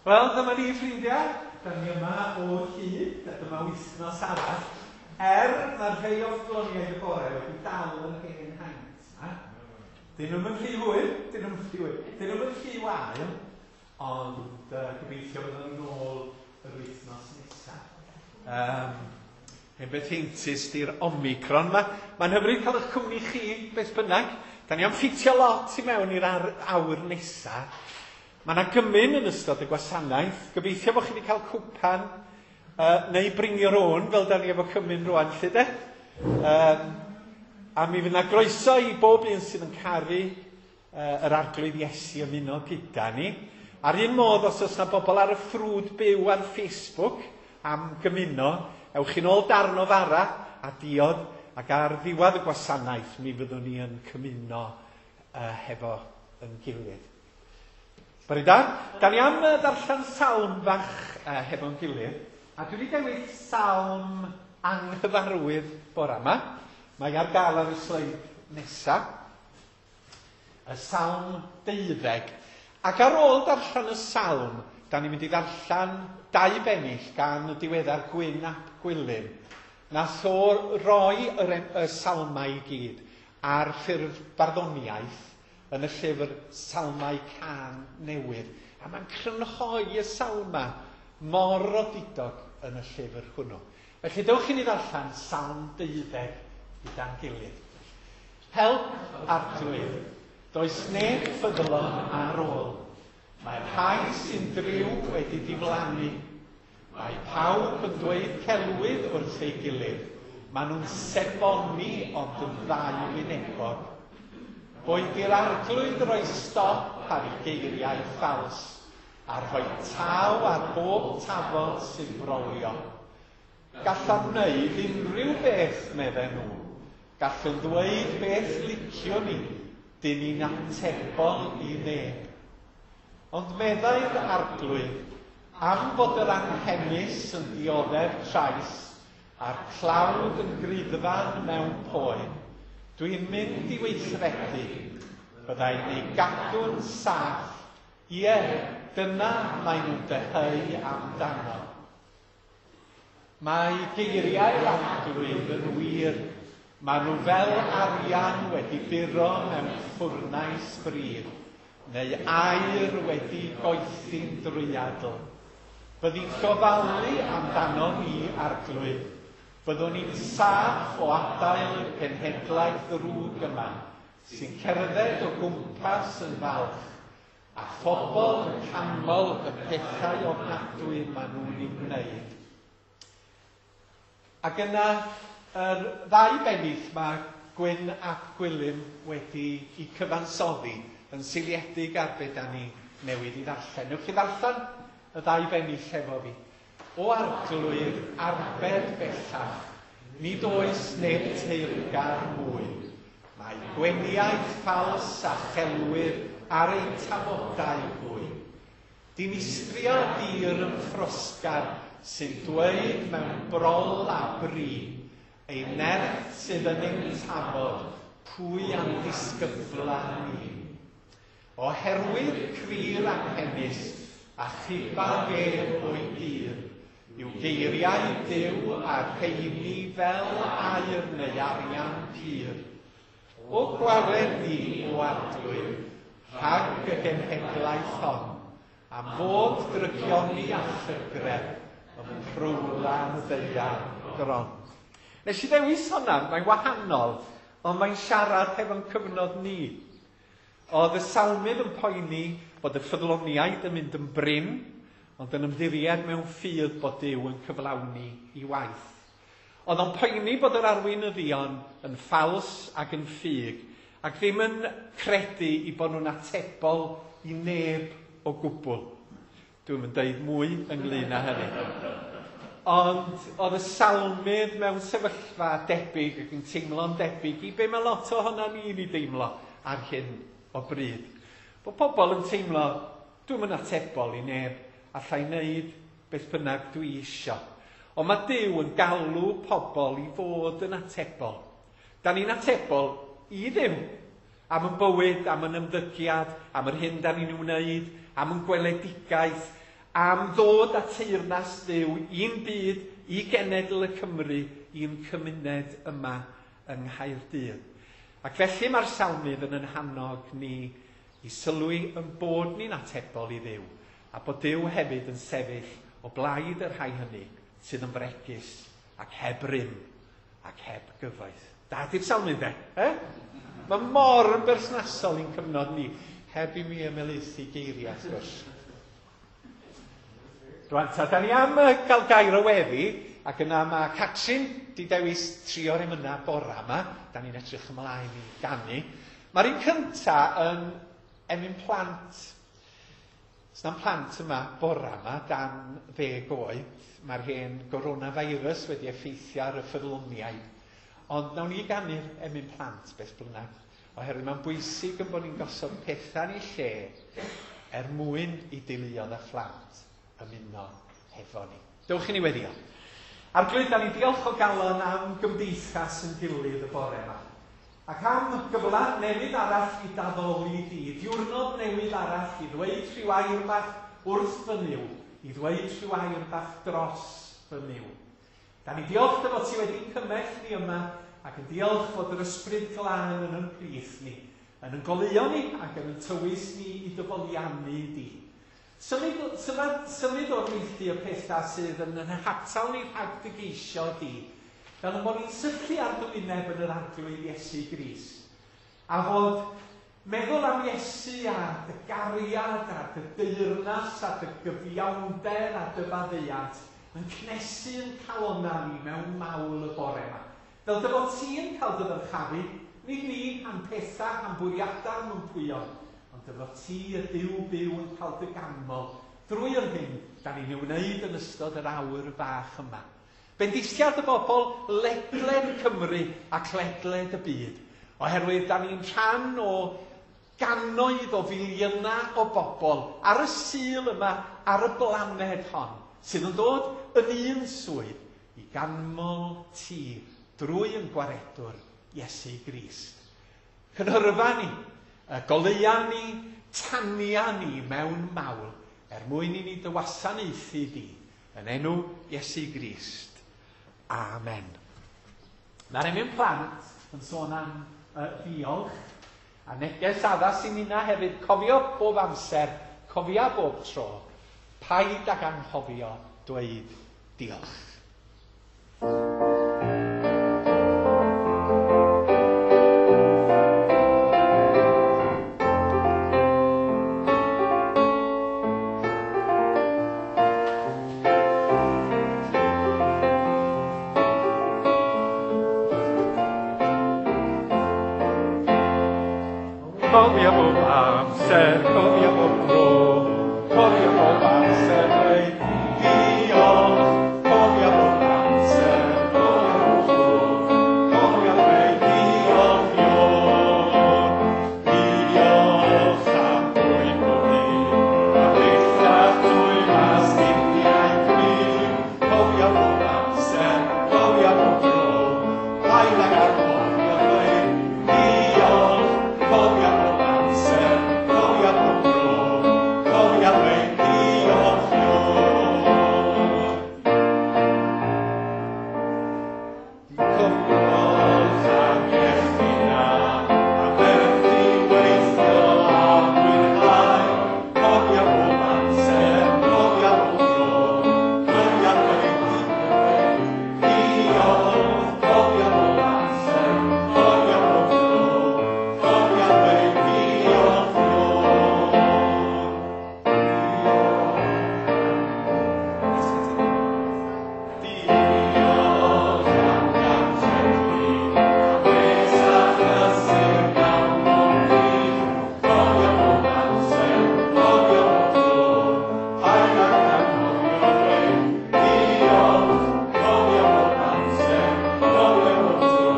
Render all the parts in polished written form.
Wel, dyma ni, ffrindiau. Da ni yma o hyd, a dyma wythnos arall. Er mae rhai o ffyddloniaid y bore wedi dal yr hen haint 'ma. Dyn nhw'm yn rhy hwyr, dyn nhw'm yn rhy hwyr, dyn nhw'm yn rhy wael, ond uh, gobeithio fyddan nhw'n ôl yr wythnos nesaf. Um, hen beth heintus di'r Omicron ma. Mae'n hyfryd cael eich cwmni chi, beth bynnag. Da ni am ffitio lot i mewn i'r awr nesaf. Mae 'na gymun yn ystod y gwasanaeth. Gobeithio bod chi wedi cael cwpan uh, neu bring your own, fel da ni efo cymun rwan, lle de. Um, a mi fydd 'na groeso i bob un sydd yn caru uh, yr Arglwydd Iesu ymuno gyda ni. A'r un modd, os oes 'na bobl ar y ffrwd byw ar Facebook am gymuno, ewch chi'n ôl darn o fara a diod, ac ar ddiwedd y gwasanaeth mi fyddwn ni yn cymuno uh, hefo yn gilydd. Bore da. Da ni am ddarllen salm fach uh, hefo'n gilydd, a dwi wedi dewis salm anghyfarwydd bore yma. Mae ar gael ar y sleid nesaf. Y salm 12. Ac ar ôl darllen y salm, da ni'n mynd i ddarllen dau bennill gan y diweddar Gwyn ap Gwilym. Nath o roi yr, y salmau i gyd ar ffurf barddoniaeth yn y llyfr Salmau Cân Newydd, a mae'n crynhoi y salmau mor odidog yn y llyfr hwnnw. Felly dewch i ni ddarllen Salm deuddeg gyda'n gilydd. Help, Arglwydd, does neb ffyddlon ar ôl. Mae'r rhai sy'n driw wedi diflannu. Mae pawb yn dweud celwydd wrth ei gilydd, maen nhw'n seboni ond yn ddau wynebog. Boed i'r Arglwydd roi stop ar ei geiriau ffals, a rhoi taw ar bob tafod sy'n brolio. Gallaf wneud unrhyw beth, medden nhw. Gallwn ddweud beth liciwn ni, dyn ni'n atebol i neb. Ond meddai'r Arglwydd, Am fod yr anghenus yn dioddef trais a'r tlawd yn griddfan mewn poen, dwi'n mynd i weithredu. Byddai'n ei gadw'n saff, ie, dyna maen nhw'n dyheu amdano. Mae geiriau'r Arglwydd yn wir, maen nhw fel arian wedi buro mewn ffwrnais bridd, neu aur wedi goethi'n drwyadl. Byddi'n gofalu amdanon ni, Arglwydd. Byddwn ni'n saff o adael y genhedlaeth ddrwg yma, sy'n cerdded o gwmpas yn falch, A phobl yn canmol y pethau ofnadwy maen nhw'n eu gwneud. Ac yna, yr ddau bennill mae Gwyn ap Gwilym wedi eu cyfansoddi yn seiliedig ar be da ni newydd i ddarllen. Newch chi ddarllen y ddau bennill hefo fi? O Arglwydd, arbed bellach, nid oes neb teyrngar mwy. Mae gweniaith ffals a chelwydd ar eu tafodau hwy. Dinistria dir yn ffrosgar sy'n dweud mewn brol a bri, Ei nerth sydd yn ein tafod, pwy a'n disgybla ni? Oherwydd cry'r anghenus a chuba fedd o'i dir, yw geiriau Duw a'r rheini fel aur neu arian pur. O gwared ni, o Arglwydd, rhag y genhedlaeth hon, am fod drygioni a llygredd ym mhrowla'r ddaear gron. Nes i ddewis honna, mae'n wahanol, ond mae'n siarad hefo'n cyfnod ni. Oedd y salmydd yn poeni bod y ffyddloniaid yn mynd yn brin, ond yn ymddiried mewn ffydd bod Duw yn cyflawni i waith. Oedd o'n poeni bod yr arweinyddion yn ffals ac yn ffug, ac ddim yn credu i bod nhw'n atebol i neb o gwbl. Dwi'm yn deud mwy ynglyn â hynny. Ond oedd y salmydd mewn sefyllfa debyg ac yn teimlo'n debyg i be mae lot ohono ni'n ei deimlo ar hyn o bryd. Bod pobl yn teimlo, dwi'm yn atebol i neb, allai wneud beth bynnag dwi isio. Ond mae Duw yn galw pobl i fod yn atebol. Da ni'n atebol i Dduw am yn bywyd, am yn ymddygiad, am yr hyn da ni'n ei wneud, am yn gweledigaeth. am ddod â teyrnas Dduw i'n byd, i genedl y Cymru, i'n cymuned yma yng Nghaerdydd. Ac felly mae'r salmydd yn ein hannog ni i sylwi yn bod ni'n atebol i Dduw, a bod Duw hefyd yn sefyll o blaid y rhai hynny sydd yn fregus ac heb rym ac heb gyfoeth. Da di'r salmydd de? Eh? Mae mor yn berthnasol i'n cyfnod ni, heb i mi ymhelaethu geiriau, wrth gwrs. Rwan ta, da ni am gael gair o weddi, ac yna mae Catrin di dewis trio'r emynau bora yma. Da ni'n edrych ymlaen i ganu. Mae'r un cynta yn emyn plant. Os na'n plant yma bora yma, dan 10 oed, mae'r hen coronavirus wedi effeithio ar y ffyddloniaid. Ond nawn ni ganu'r emyn plant beth bynnag, oherwydd mae'n bwysig yn bod ni'n gosod pethau yn ei lle er mwyn i deuluoedd a phlant ymuno hefo ni. Dewch i ni weddio. Arglwydd, da ni'n diolch o galon am gymdeithas yn gilydd y bore yma. Ac am gyfle newydd arall i d'addoli di, diwrnod newydd arall i ddweud rhyw air bach wrth fy Nuw, i ddweud rhyw air bach dros fy Nuw. Da ni diolch dy fod ti wedi'n cymell ni yma, ac yn diolch fod yr Ysbryd Glân yn yn plith ni, yn yn goleuo ni ac yn yn tywys ni i dy foliannu di. Symud, symud, symud o'r neilltu y pethau sydd yn yn hatal ni rhag dy geisio di, fel yn bod ni'n syllu ar dy wyneb yn yr Arglwydd Iesu Grist, a fod meddwl am Iesu a dy gariad a dy deyrnas a dy gyfiawnder a dy faddeuant yn cnesu yn calonnau ni mewn mawl y bore yma. Fel dy fod ti'n cael dy ddyrchafu, nid ni, a'n pethau, a'n bwriadau, a'n mympwyon, ond dy fod ti, y Duw byw, yn cael dy ganmol drwy yr hyn da ni'n ei wneud yn ystod yr awr fach yma. Bendithiad y bobl ledled Cymru ac ledled y byd, oherwydd da ni'n rhan o gannoedd o filiynau o bobl ar y Sul yma ar y blaned hon, sydd yn dod yn un swydd i ganmol ti drwy yn gwaredwr Iesu Grist. Cynhyrfa ni, y goleua ni, tania ni mewn mawl, er mwyn i ni dy wasanaethu di, yn enw Iesu Grist. Amen. Mae'r emyn plant yn sôn am ddiolch, a neges addas i ninna hefyd, cofio bob amser, cofia bob tro, paid ag anghofio dweud diolch. Cofia bob amser, cofia bob tro, cofia bob amser dweud diolch, cofia bob amser, cofia bob tro, cofia dweud diolch Ion, diolch am bwyd bob dydd, a bellach trwy mas sgidiau cryf, cofia bob amser, cofia bob tro, paid ag anghofio dweud diolch, cofia bob amser, cofia bob tro, cofia dweud diolch Ion. Diolch am iechyd da, a werth i weithio a mwynhau, cofia bob amser, cofia bob tro, cofia dweud diolch, cofia bob amser, cofia bob tro, cofia dweud diolch Ion. Diolch am gartrefi, a les a chysur gawn bob dydd, cofia bob amser, cofia bob tro, paid ag anghofio dweud diolch, cofia bob amser, cofia bob tro,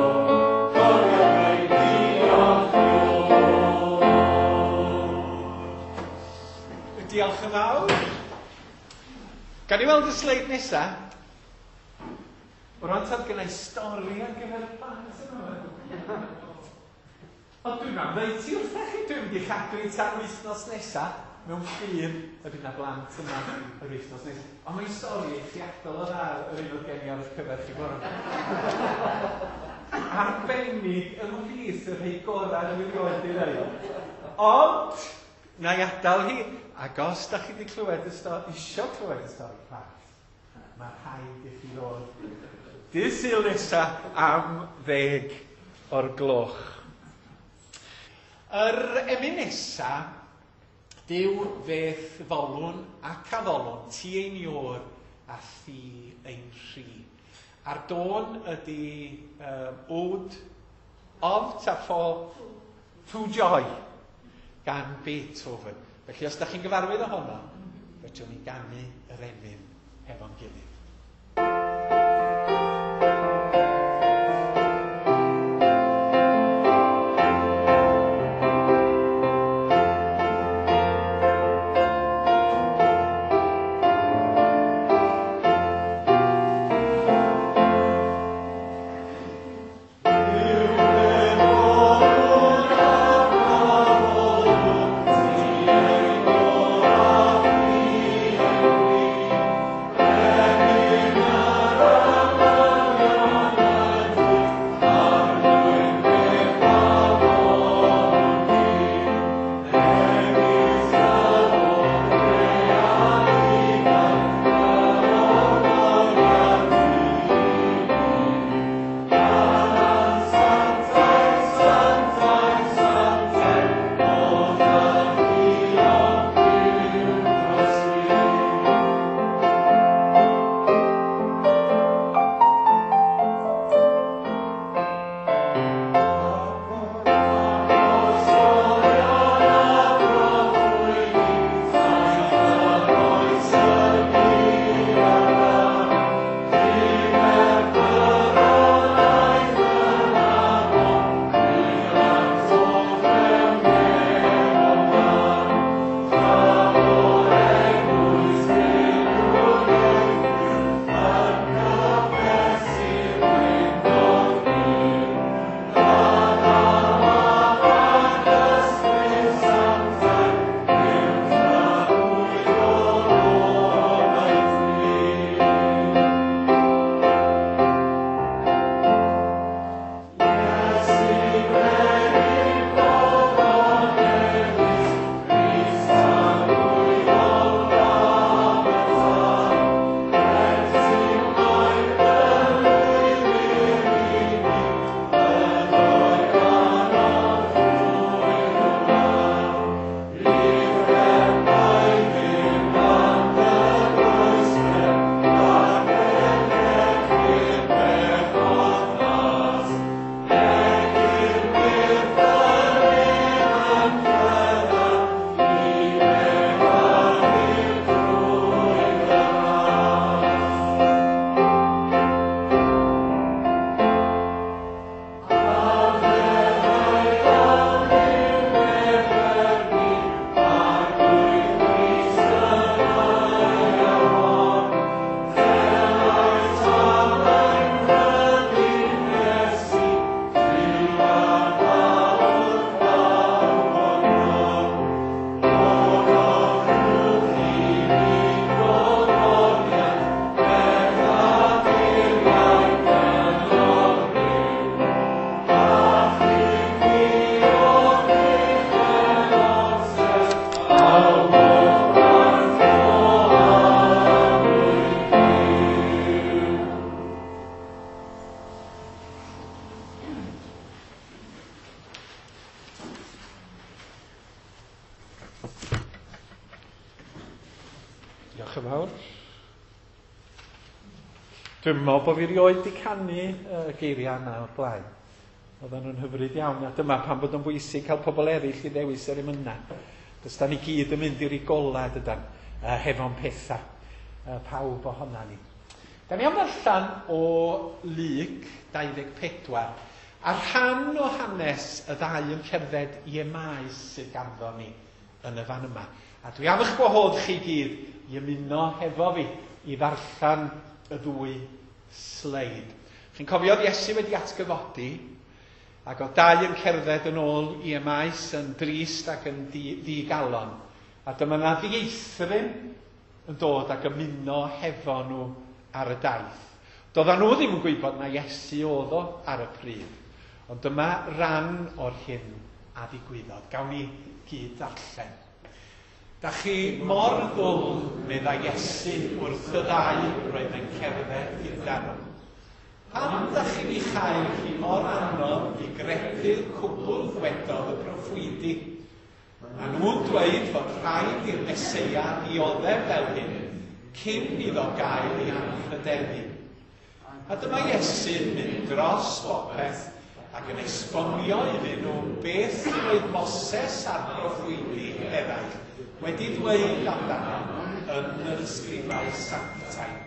cofia dweud diolch Ion. Diolch yn fawr. Gan i weld y sleid nesa? Rwan tad gynna i stori ar gyfer y plant yma. Ond dwi'n am ddeud ti wrthych chi, dwi'n mynd i chadw i tan wythnos nesa, mewn ffydd y bydd na blant yma yr wythnos nesaf. Ond mae'n stori eithriadol o dda yr un oedd gen i ar eich cyfer chi bore. Arbennig ymhlith y rhai gorau dwi erioed i ddeud. Ond, na i adael hi, ac os da chi wedi clywed y stori, isio clywed y stori plant, mae rhaid i chi ddod dydd Sul nesa am 10:00. Yr emyn nesa, Duw fe'th folwn ac addolwn, ti ein Iôr a thi ein rhi. A'r dôn ydy Ode of ta for to Joy gan Beethoven. Felly os da chi'n gyfarwydd ohono, fedrwn ni ganu yr emyn hefo'n gilydd. Diolch yn fawr. Dwi'n meddwl bod fi rioed wedi canu y geiriau yna o'r blaen. Oedden nhw'n hyfryd iawn, a dyma pam bod o'n bwysig cael pobl eraill i ddewis yr emynau. Does da ni gyd yn mynd i'r golau dydan, hefo'n pethau, pawb ohona ni. Da ni am ddarllen o Luc 24, a rhan o hanes y ddau yn cerdded i Emaus sydd ganddo ni yn y fan yma. A dwi am eich gwahodd chi gyd i ymuno hefo fi i ddarllen y ddwy sleid. Chi'n cofio oedd Iesu wedi atgyfodi. Ac oedd dau yn cerdded yn ôl i Emaus yn drist ac yn ddigalon. A dyma na ddieithryn yn dod ac ymuno hefo nhw ar y daith. Doedden nhw ddim yn gwybod na Iesu oedd o ar y pryd. Ond dyma ran o'r hyn a ddigwyddodd. Gawn ni gyd ddarllen. Da chi mor ddwl, meddai Iesu wrth y ddau roedd yn cerdded gyda nhw. Pam da chi'n ei chael hi mor anodd i gredu'r cwbl ddwedodd y proffwydi? Maen nhw'n dweud fod rhaid i'r Meseia ddioddef fel hyn cyn iddo gael ei anrhydeddu. A dyma Iesu'n mynd dros bopeth ac yn esbonio iddyn nhw beth roedd Moses a'r proffwydi eraill wedi dweud amdano yn yr ysgrifau sanctaidd.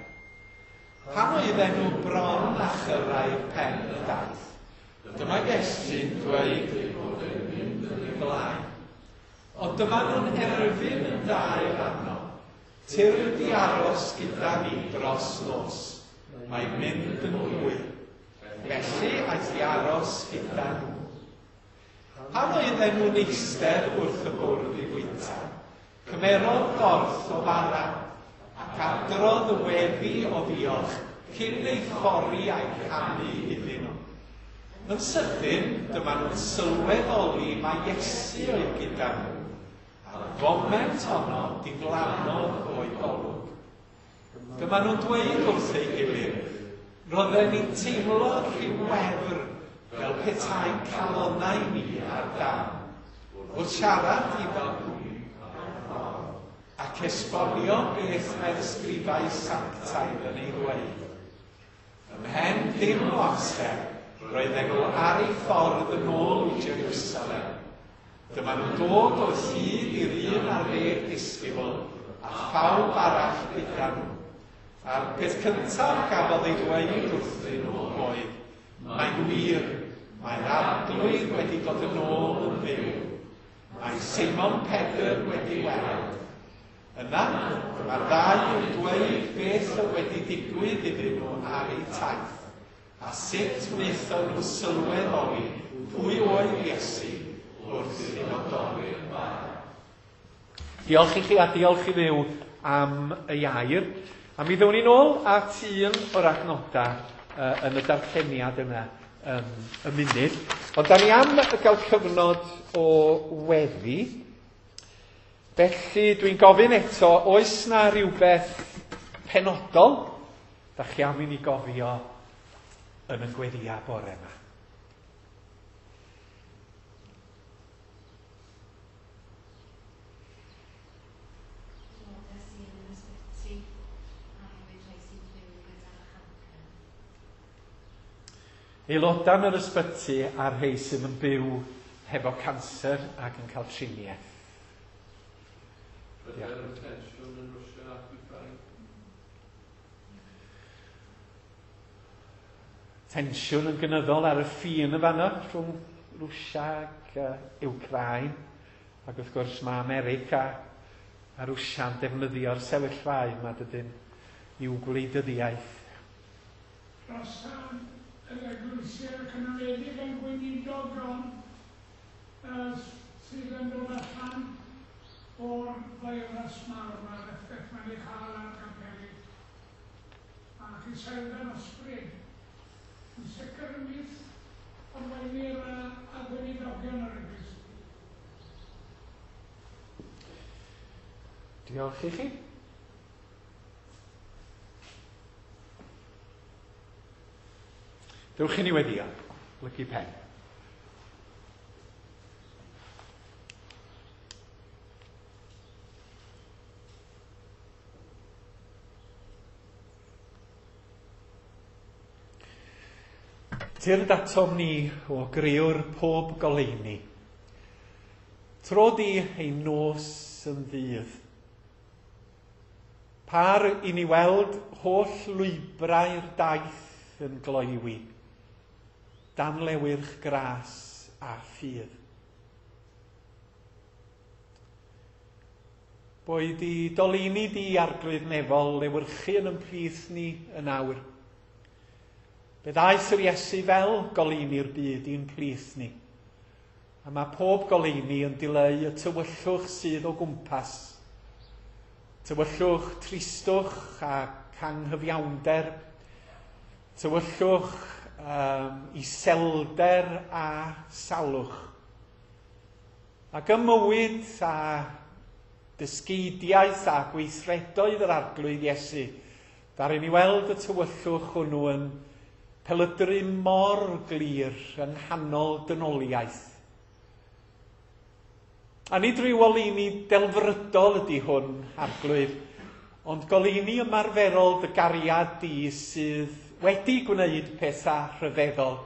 Pan oedden nhw bron â chyrraedd pen y daith, dyma Iesu'n dweud ei bod e'n mynd yn ei flaen. Ond dyma nhw'n erfyn yn daer arno, Tyrd i aros gyda ni dros nos, mae'n mynd yn hwyr. Felly aeth i aros gyda nhw. Pan oedden nhw'n eistedd wrth y bwrdd i fwyta, cymerodd gorff o fara, ac adrodd y weddi o ddiolch cyn ei thorri a'i rhannu iddyn nhw. Yn sydyn, dyma nhw'n sylweddoli mai Iesu oedd gyda nhw, a'r foment honno diflannodd o'u golwg. Dyma nhw'n dweud wrth ei gilydd, roedden ni'n teimlo rhyw wefr fel petai'n calonnau ni ar dân. Wrth siarad iddo ac esbonio beth mae'r ysgrifau sanctaidd yn ei ddweud. Ymhen dim o amser, roedden nhw ar eu ffordd yn ôl i Jerusalem. Dyma nhw'n dod o hyd i'r 11 disgybl a phawb arall gyda nhw. A'r peth cyntaf gafodd ei ddweud wrthyn nhw oedd, Mae'n wir, mae'r Arglwydd wedi dod yn ôl yn fyw. Mae Seimon Pedr wedi weld. Yna, dyma'r ddau yn dweud beth oedd wedi digwydd iddyn nhw ar eu taith, a sut wnaethon nhw sylweddoli pwy oedd Iesu wrth iddyn nhw dorri'r bara. Diolch i chi a diolch i Dduw am ei air. A mi ddown ni'n ôl at un o'r adnodau yn y darlleniad yna y munud. Ond da ni am gael cyfnod o weddi. Felly dwi'n gofyn eto, oes na rhywbeth penodol da chi am i ni gofio yn y gweddiau bore yma? Aelodau yn yr ysbyty a'r rhai sydd yn byw hefo canser ac yn cael triniaeth. Pryder am tensiwn yn Rwsia ac Wcráin. Tensiwn yn gynyddol ar y ffin yn fanno rhwng Rwsia ac Wcráin. Ac wrth gwrs mae America a Rwsia'n defnyddio'r sefyllfaoedd yma dydyn i'w gwleidyddiaeth. Dros yr eglwysi ac yn enwedig ein gweinidogion sydd yn dod allan o'r feirws mawr 'ma a'r effaith mae'n ei chael ar gapeli. Ac iselder ysbryd, yn sicr ymhlith arweinwyr a gweinidogion yr eglwys. Diolch i chi. Dewch i ni weddio. Blygu pen. Tyrd atom ni o grëwr pob goleuni. Tro di ein nos yn ddydd. Par i ni weld holl lwybrau'r daith yn gloywi, dan lewyrch gras a ffydd. Boed i doleini di, Arglwydd Nefol, lewyrchu yn ymhlith ni yn awr. Fe ddaeth yr Iesu fel goleuni'r byd i'n plith ni. A mae pob goleuni yn dileu y tywyllwch sydd o gwmpas. Tywyllwch tristwch a anghyfiawnder. Tywyllwch iselder a salwch. Ac ym mywyd a dysgeidiaeth a gweithredoedd yr Arglwydd Iesu, ddaru ni weld y tywyllwch hwnnw yn pelydru mor glir yng nghanol dynoliaeth. A nid rhyw oleuni delfrydol ydy hwn, Arglwydd, ond goleuni ymarferol dy gariad di sydd wedi gwneud pethau rhyfeddol,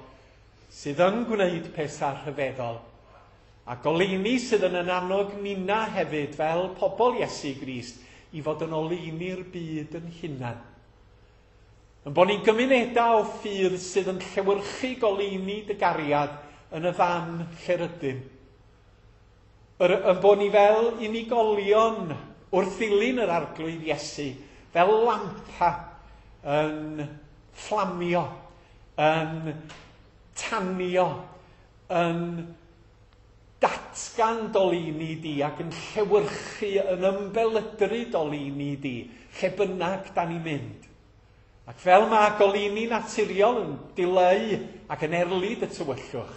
sydd yn gwneud pethau rhyfeddol, a goleuni sydd yn annog nina hefyd fel pobl Iesu Grist i fod yn oleuni'r byd yn hunan. Yn bod ni'n gymunedau o ffydd sydd yn llewyrchu goleuni dy gariad yn y fan lle rydym. Yn bod ni fel unigolion wrth ddilyn yr Arglwydd Iesu, fel lampa yn fflamio, yn tanio, yn datgan doleuni di ac yn llewyrchu, yn ymbelydru doleuni di, lle bynnag da ni'n mynd. Ac fel mae goleuni naturiol yn dileu ac yn erlid y tywyllwch,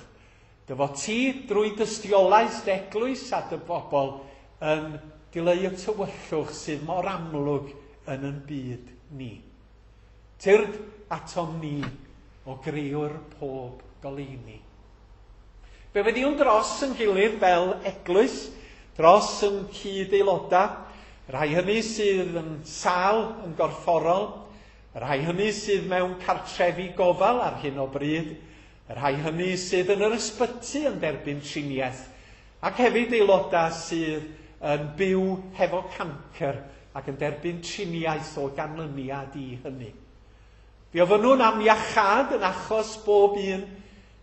dy fod ti drwy dystiolaeth dy eglwys a dy bobl yn dileu y tywyllwch sydd mor amlwg yn yn byd ni. Tyrd atom ni o grëwr pob goleuni. Fe weddïwn dros yn gilydd fel eglwys, dros yn cyd-aelodau, rhai hynny sydd yn sâl yn gorfforol, rhai hynny sydd mewn cartrefi gofal ar hyn o bryd, rhai hynny sydd yn yr ysbyty yn derbyn triniaeth, ac hefyd aelodau sydd yn byw hefo cancr ac yn derbyn triniaeth o ganlyniad i hynny. Fe ofynnwn am iachâd yn achos bob un,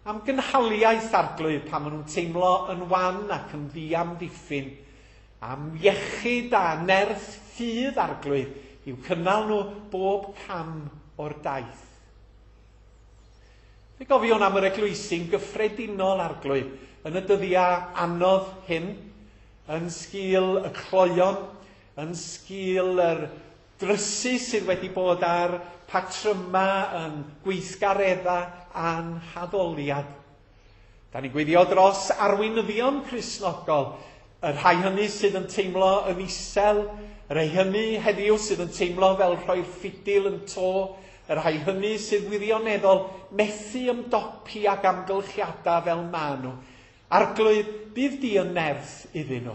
am gynhaliaeth Arglwydd pan maen nhw'n teimlo yn wan ac yn ddiamddiffyn, am iechyd a nerth ffydd Arglwydd i'w cynnal nhw bob cam o'r daith. Fe gofiwn am yr eglwysi'n gyffredinol Arglwydd yn y dyddiau anodd hyn, yn sgil y cloeon, yn sgil yr drysu sydd wedi bod ar patryma yn gweithgareddau a'n haddoliad. Da ni'n gweddio dros arweinyddion Cristnogol, y rhai hynny sydd yn teimlo yn isel, y rhai hynny heddiw sydd yn teimlo fel rhoi'r ffidil yn to, y rhai hynny sydd wirioneddol methu ymdopi ag amgylchiadau fel maen nhw. Arglwydd, bydd di yn nerth iddyn nhw.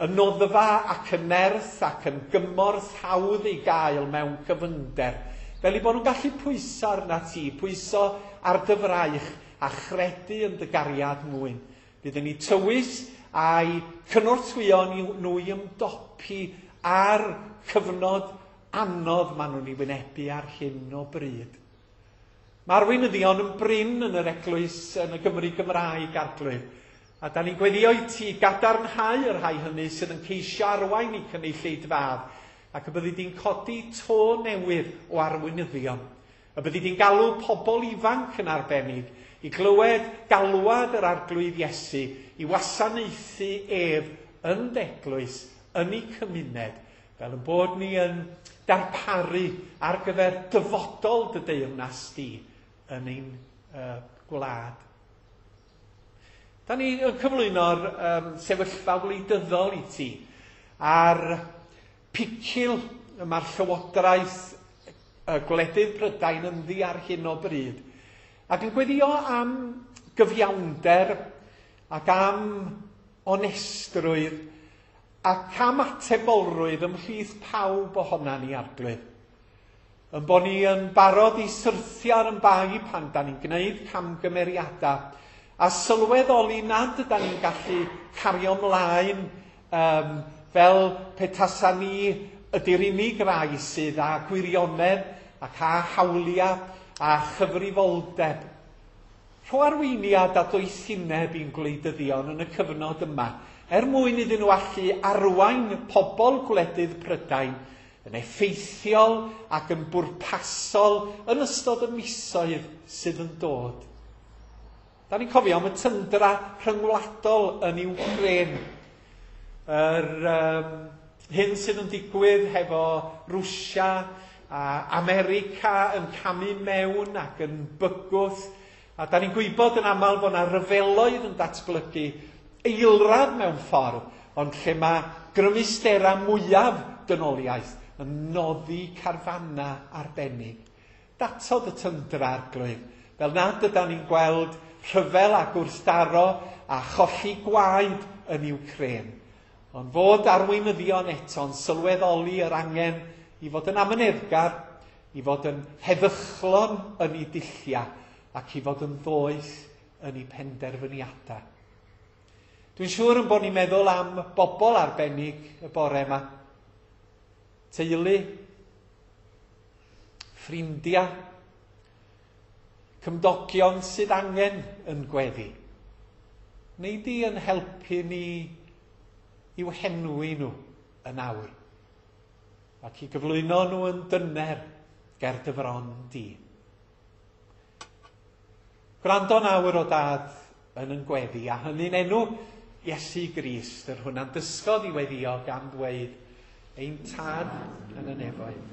Y noddfa ac y nerth ac yn gymorth hawdd ei gael mewn cyfyngder, fel eu bod nhw'n gallu pwyso arna ti, pwyso ar dy fraich a chredu yn dy gariad mwyn. Bydd yn eu tywys a'i cynorthwyo nhw i ymdopi ar cyfnod anodd maen nhw'n ei wynebu ar hyn o bryd. Mae arweinyddion yn brin yn yr eglwys yn y Gymru Gymraeg, Arglwydd. A da ni'n gweddio i ti gadarnhau y rhai hynny sydd yn ceisio arwain i cynulleidfaoedd, ac y byddi di'n codi to newydd o arweinyddion. Y byddi di'n galw pobl ifanc yn arbennig i glywed galwad yr Arglwydd Iesu i wasanaethu ef yn d'eglwys, yn eu cymuned, fel yn bod ni yn darparu ar gyfer dyfodol dy deyrnas di yn ein gwlad. Da ni yn cyflwyno'r sefyllfa wleidyddol i ti a'r picil y mae'r llywodraeth y gwledydd Prydain ynddi ar hyn o bryd, ac yn gweddio am gyfiawnder ac am onestrwydd ac am atebolrwydd ymhlith pawb ohona ni, Arglwydd. Yn bod ni yn barod i syrthio ar yn bai pan da ni'n gwneud camgymeriadau a sylweddoli nad yda ni'n gallu cario ymlaen fel petasa ni ydy'r unig rai sydd â gwirionedd ac â hawliau a chyfrifoldeb. Rho arweiniad a doethineb i'n gwleidyddion yn y cyfnod yma, er mwyn iddyn nhw allu arwain pobl gwledydd Prydain yn effeithiol ac yn bwrpasol yn ystod y misoedd sydd yn dod. Da ni'n cofio am y tyndra rhyngwladol yn Iwcrain. Yr hyn sydd yn digwydd hefo Rwsia a America yn camu mewn ac yn bygwth. A da ni'n gwybod yn aml bod yna ryfeloedd yn datblygu eilradd mewn ffordd, ond lle mae grymusterau mwyaf dynoliaeth yn noddi carfanna arbennig. Datod y tyndra, Arglwydd, fel nad ydan ni'n gweld rhyfel a gwrthdaro a cholli gwaed yn Iwcrain, ond fod arweinyddion eto'n sylweddoli yr angen i fod yn amyneddgar, i fod yn heddychlon yn eu dulliau ac i fod yn ddoeth yn eu penderfyniadau. Dwi'n siŵr yn bod ni'n meddwl am bobl arbennig y bore yma. Teulu, ffrindiau, cymdogion sydd angen yn gweddi. Neu di yn helpu ni i'w henwi nhw yn awr, ac i gyflwyno nhw yn dyner ger dy fron di. Gwrando nawr o Dad yn yn gweddi, a hynny'n enw Iesu Grist, yr hwn a'n dysgodd i weddio gan ddweud, Ein Tad yn y nefoedd.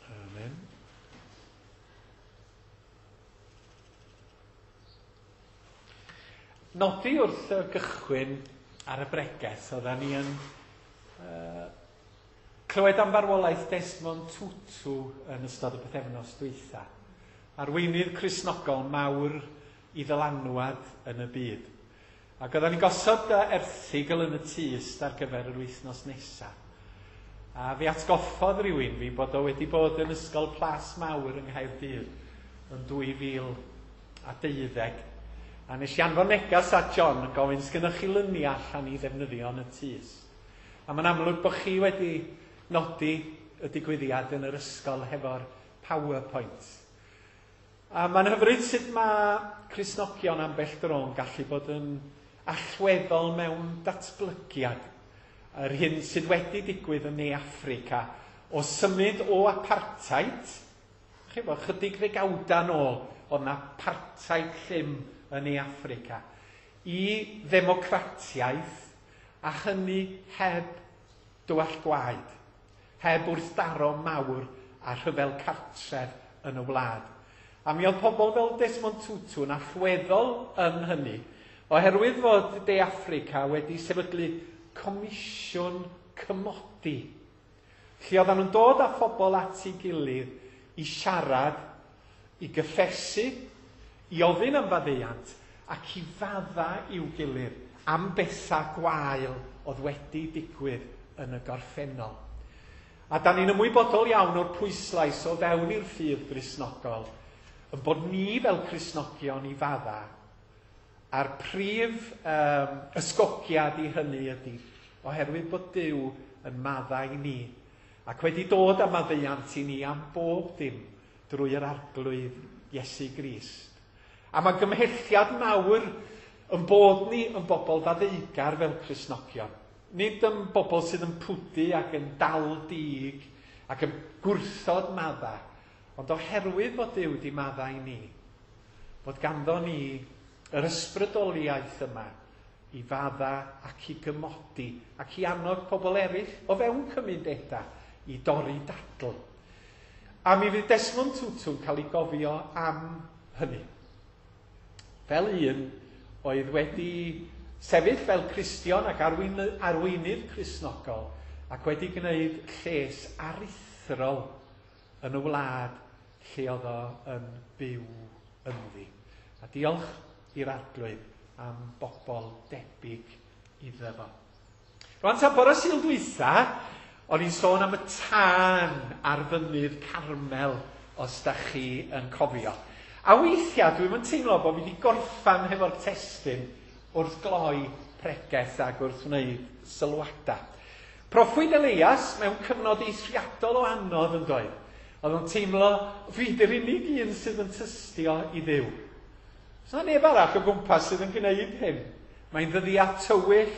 Amen. Nodi wrth y gychwyn ar y bregeth, oedden ni yn clywed am farwolaeth Desmond Tutu yn ystod y pythefnos dwytha. Arweinydd Cristnogol mawr i ddylanwad yn y byd. Ac oedden ni'n gosod erthygl yn y tyst ar gyfer yr wythnos nesaf. A fi atgoffodd rhywun fi bod o wedi bod yn Ysgol Plas Mawr yng Nghaerdydd yn 2012. A nes i anfon negas at John yn gofyn, sgynnoch chi luniau allan i ddefnyddio yn y tyst? A mae'n amlwg bod chi wedi nodi y digwyddiad yn yr ysgol hefo'r PowerPoint. A mae'n hyfryd sut mae Cristnogion ambell dro'n gallu bod yn allweddol mewn datblygiad. Yr hyn sydd wedi digwydd yn Ne Affrica o symud o apartheid, chi bod, chydig ddegawdau nôl, oedd yna apartheid llym yn Ne Affrica, i ddemocratiaeth, a hynny heb dywallt gwaed, heb wrthdaro mawr a rhyfel cartref yn y wlad. A mi oedd pobl fel Desmond Tutu yn allweddol yn hynny, oherwydd fod De Affrica wedi sefydlu comisiwn cymodi, lle oedden nhw'n dod â phobl at ei gilydd i siarad, i gyffesu, i ofyn am faddeuant ac i fadda i'w gilydd am bethau gwael oedd wedi digwydd yn y gorffennol. A da ni'n ymwybodol iawn o'r pwyslais o fewn i'r ffydd Gristnogol, yn bod ni fel Cristnogion i fadda, a'r prif ysgogiad i hynny ydy, oherwydd bod Duw yn madda i ni, ac wedi dod â maddeuant i ni am bob dim drwy yr Arglwydd Iesu Grist. A mae gymhelliad mawr yn bod ni yn bobl faddeugar fel Cristnogion. Nid yn bobl sydd yn pwdu ac yn dal dig ac yn gwrthod madda, ond oherwydd bod Duw wedi madda i ni, bod ganddo ni yr ysbrydoliaeth yma i fadda ac i gymodi ac i annog pobl eraill o fewn cymunedau i dorri dadl. A mi fydd Desmond Tutu'n cael ei gofio am hynny. Fel un oedd wedi sefyll fel Cristion ac arweinydd Cristnogol ac wedi gwneud lles aruthrol yn y wlad lle oedd o yn byw ynddi. A diolch i'r Arglwydd am bobl debyg iddo fo. Rwan ta bore Sul dwytha, o'n i'n sôn am y tân ar fynydd Carmel, os da chi yn cofio. A weithiau dwi'm yn teimlo bod fi wedi gorffan hefo'r testun wrth gloi pregeth ac wrth wneud sylwadau. Proffwyd Elias mewn cyfnod eithriadol o anodd yn doedd. Oedd o'n teimlo, fi di'r unig un sydd yn tystio i Dduw. Oes 'na neb arall o gwmpas sydd yn gwneud hyn? Mae'n ddyddiau tywyll,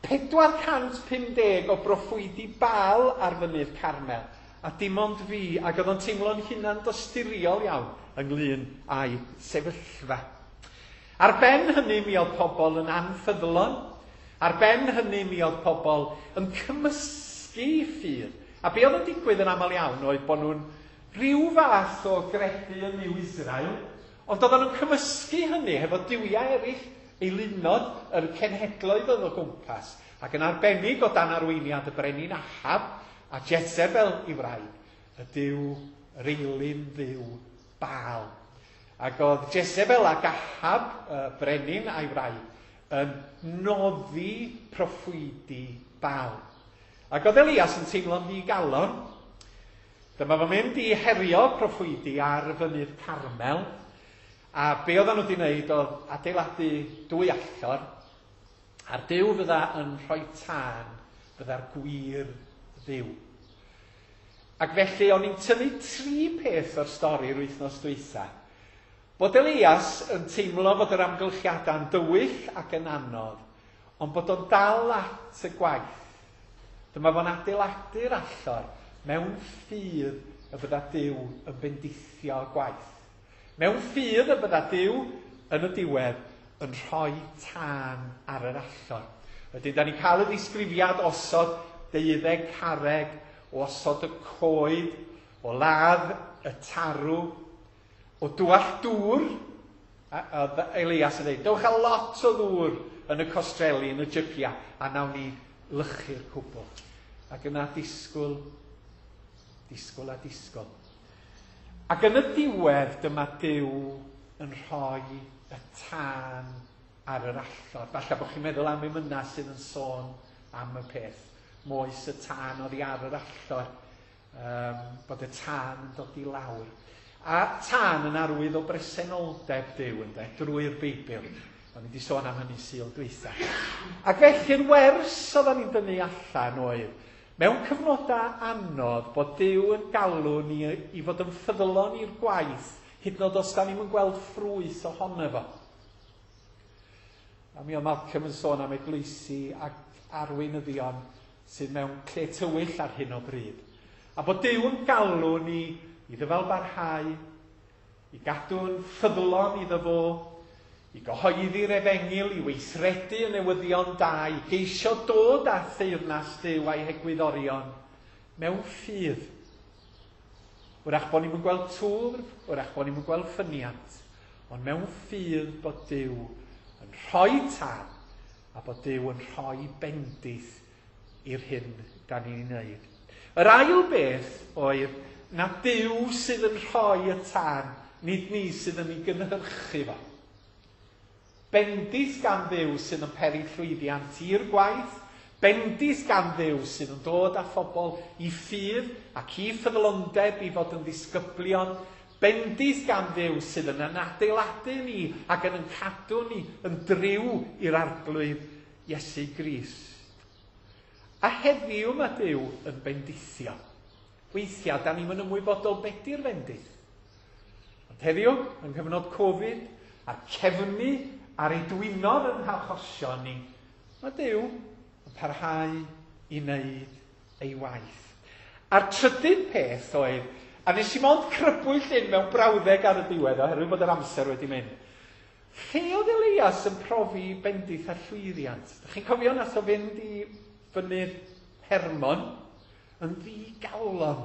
450 o broffwydi Baal ar fynydd Carmel, a dim ond fi, ac oedd o'n teimlo'n hunan dosturiol iawn ynglyn â'i sefyllfa. Ar ben hynny mi oedd pobl yn anffyddlon, ar ben hynny mi oedd pobl yn cymysgu ffydd. A be oedd yn digwydd yn aml iawn oedd bod nhw'n rhyw fath o gredu yn Nuw Israel, ond oedden nhw'n cymysgu hynny hefo duwiau eraill, eilunod yr cenhedloedd oedd o gwmpas, ac yn arbennig o dan arweiniad y brenin Ahab a Jezebel i wraig, y duw, yr eilun dduw Baal. Ac oedd Jezebel ac Ahab, y brenin a'i wraig, yn noddi proffwydi Baal. Ac oedd Elias yn teimlo'n ddigalon. Dyma fo'n mynd i herio proffwydi ar fynydd Carmel. A be oedden nhw wedi wneud oedd adeiladu dwy allor, a'r Duw fydda yn rhoi tân, fydda'r gwir Dduw. Ac felly o'n i'n tynnu tri peth o'r stori yr wythnos dwytha. Bod Elias yn teimlo fod yr amgylchiadau'n dywyll ac yn anodd, ond bod o'n dal at y gwaith. Dyma fo'n adeiladu'r allor mewn ffydd y bydda Duw yn bendithio gwaith. Mewn ffydd y bydda Duw yn y diwedd yn rhoi tân ar yr allor. Wedyn, da ni'n cael y disgrifiad osod deuddeg carreg, o osod y coed, o ladd y tarw, o dywallt dŵr. A, a Elias yn dweud, dewch â lot o ddŵr yn y costreli, yn y jygiau, a nawn ni lychu'r cwbl. Ac yna disgwyl, disgwyl a disgwyl. Ac yn y diwedd, dyma Duw yn rhoi y tân ar yr allor. Falle bod chi'n meddwl am emynau sydd yn sôn am y peth. Moes y tân oddi ar yr allor, bod y tân yn dod i lawr. A tân yn arwydd o bresenoldeb Duw, ynde, drwy'r Beibl. O'n i wedi sôn am hynny Sul dwytha. Ac felly'r wers oedden ni'n dynnu allan oedd, mewn cyfnodau anodd, bod Duw yn galw ni i fod yn ffyddlon i'r gwaith, hyd yn oed os da ni'm yn gweld ffrwyth ohono fo. A mi oedd Malcolm yn sôn am eglwysi ac arweinyddion sydd mewn lle tywyll ar hyn o bryd. A bod Duw yn galw ni i ddyfalbarhau, i gadw'n ffyddlon iddo fo, i gyhoeddi'r efengyl, i weithredu y newyddion da, i geisio dod â theyrnas Duw a'i hegwyddorion mewn ffydd. Wrach bod ni'm yn gweld twf, wrach bod ni'm yn gweld ffyniant, ond mewn ffydd bod Duw yn rhoi tân a bod Duw yn rhoi bendith i'r hyn da ni'n ei wneud. Yr ail beth oedd na Duw sydd yn rhoi y tân, nid ni sydd yn ei gynhyrchu fo. Bendith gan Dduw sydd yn peri llwyddiant i'r gwaith, bendith gan Dduw sydd yn dod â phobl i ffydd ac i ffyddlondeb i fod yn ddisgyblion, bendith gan Dduw sydd yn yn adeiladu ni ac yn yn cadw ni yn driw i'r Arglwydd Iesu Grist. A heddiw mae Duw yn bendithio. Weithiau, da ni'm yn ymwybodol be di'r fendith. Ond heddiw, yng nghyfnod Covid, a'r cefnu ar ei dwinodd yn hachosion ni, mae Duw yn parhau i wneud ei waith. A'r trydydd peth oedd, a nes i mond crybwyll hyn mewn brawddeg ar y diwedd oherwydd bod yr amser wedi mynd, lle oedd Elias yn profi bendith a llwyddiant? Dych chi'n cofio nath o fynd i fynydd Hermon yn ddigalon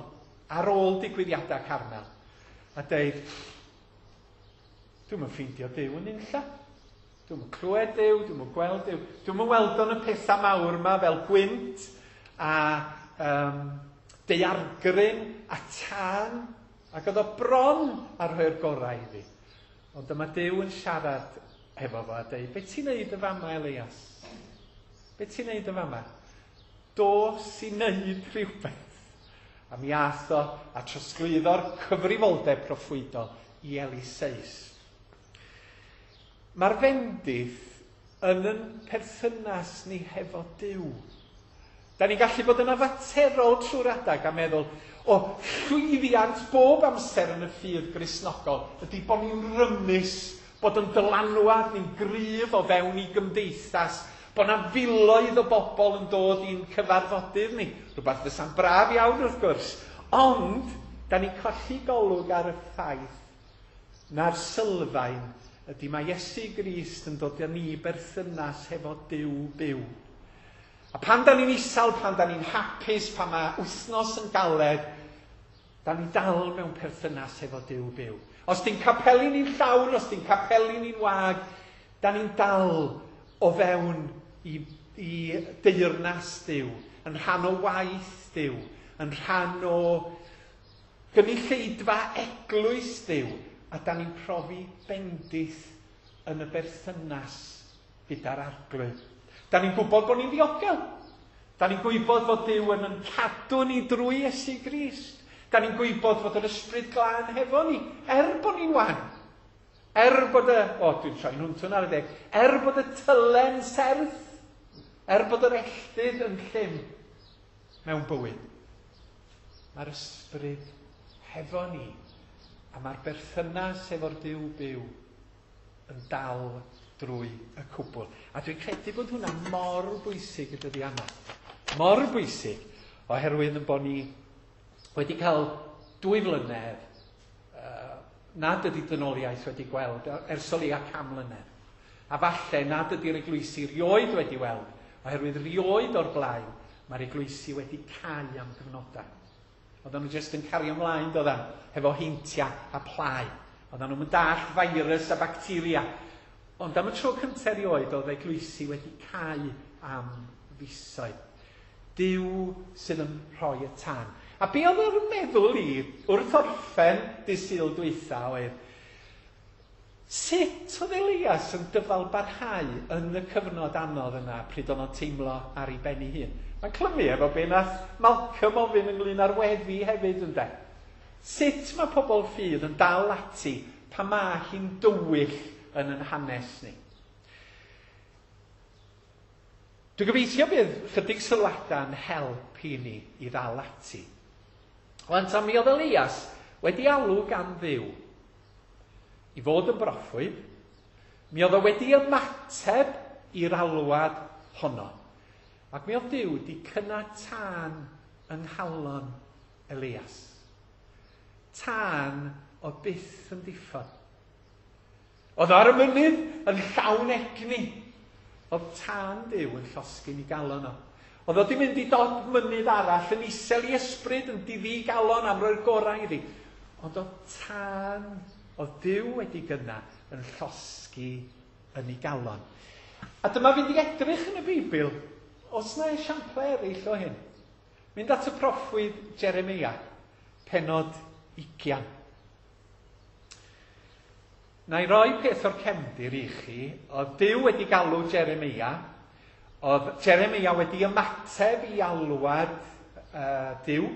ar ôl digwyddiadau Carmel a deud, dwi'm yn ffeindio Duw yn unlla. Dwi'm yn clywed Duw, dwi'm yn gweld Duw. Dwi'm yn weld o'n y pethau mawr yma fel gwynt a daeargryn a tân, ac oedd o bron a rhoi'r gorau iddi. Ond dyma Duw yn siarad efo fo a deud, be ti'n neud yn fama, Elias? Be ti'n neud yn fama? Dos i wneud rhywbeth. A mi ath o a trosglwyddo'r cyfrifoldeb proffwydol i Eliseus. Mae'r fendith yn yn perthynas ni hefo Duw. Da ni'n gallu bod yn afaterol trwy'r adag a meddwl, o, llwyddiant bob amser yn y ffydd Gristnogol ydy bod ni'n rymus, bod yn dylanwad ni'n gryf o fewn i gymdeithas, bod 'na filoedd o bobl yn dod i'n cyfarfodydd ni. Rhywbeth fysa'n braf iawn wrth gwrs. Ond, da ni'n colli golwg ar y ffaith na'r sylfaen ydy mae Iesu Grist yn dod â ni i berthynas hefo Duw byw. A pan da ni'n isal, pan da ni'n hapus, pan mae wythnos yn galed, da ni dal mewn perthynas hefo Duw byw. Os di'n capeli ni'n llawn, os di'n capeli ni'n wag, da ni'n dal o fewn i, i deyrnas Duw, yn rhan o waith Duw, yn rhan o gynulleidfa eglwys Duw, a da ni'n profi bendith yn y berthynas gyda'r Arglwydd. Da ni'n gwybod bod ni'n ddiogel. Da ni'n gwybod fod Duw yn yn cadw ni drwy Iesu Grist. Da ni'n gwybod fod yr Ysbryd Glân hefo ni, er bod ni'n wan. Er bod y... O, dwi'n troi'n hwntwn ar y deg. Er bod y tylen serth. Er bod yr elltydd yn llym mewn bywyd. Mae'r Ysbryd hefo ni, a mae'r berthynas efo'r Duw byw yn dal drwy y cwbl. A dwi'n credu bod hwnna mor bwysig y dyddiau yma. Mor bwysig, oherwydd yn bod ni wedi cael 2 flynedd nad ydy dynoliaeth wedi gweld ers o leia 100 mlynedd. A falle nad ydy'r eglwysi rioed wedi weld, oherwydd rioed o'r blaen mae'r eglwysi wedi cau am gyfnodau. Oedden nhw jyst yn cario ymlaen, doedden, hefo heintiau a plâu. Oedden nhw'n dallt virus a bacteria. Ond am y tro cyntaf erioed, oedd eglwysi wedi cau am fisoedd. Duw sydd yn rhoi y tân. A be oedd o'r meddwl i wrth orffen dydd Sul dwytha oedd, sut oedd Elias yn dyfal barhau yn y cyfnod anodd yna pryd oedd o'n teimlo ar ei ben ei hun? Mae'n clymu efo be nath Malcolm ofyn ynglyn â'r weddi hefyd, ynde? Sut mae pobl ffydd yn dal ati pan mae hi'n dywyll yn yn hanes ni? Dwi'n gobeithio bydd chydig sylwadau yn help i ni i ddal ati. Wan ta, mi oedd Elias wedi alw gan Dduw i fod yn broffwyd. Mi oedd o wedi ymateb i'r alwad honno. Ac mi oedd Duw wedi cynnau tân yng nghalon Elias. Tân oedd byth yn diffodd. Oedd ar y mynydd yn llawn egni. Oedd tân Duw yn llosgi'n ei galon o. Oedd o wedi mynd i dop mynydd arall yn isel i ysbryd, yn diddi galon am roi'r gorau iddi. Ond oedd tân, oedd Duw wedi gynna yn llosgi yn ei galon. A dyma fynd i edrych yn y Beibl, os na esiamplau eraill o hyn. Mynd at y proffwyd Jeremia, pennod 20. Na i roi peth o'r cefndir i chi, oedd Duw wedi galw Jeremia, oedd Jeremia wedi ymateb i alwad Duw,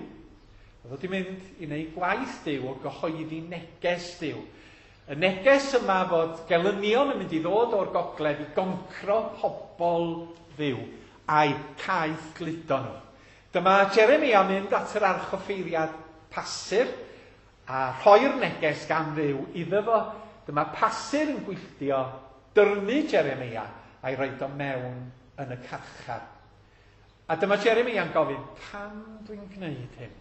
oedd wedi mynd i wneud gwaith Duw o gyhoeddi neges Duw. Y neges yma fod gelynion yn mynd i ddod o'r gogledd i goncro pobl Dduw a'i caeth gludo nhw. Dyma Jeremia mynd at yr archoffeiriad Pasur a rhoi'r neges gan Dduw iddo fo. Dyma Pasur yn gwylltio dyrnu Jeremia a'i roed o mewn yn y carchar. A dyma Jeremia'n gofyn, pam dwi'n gwneud hyn?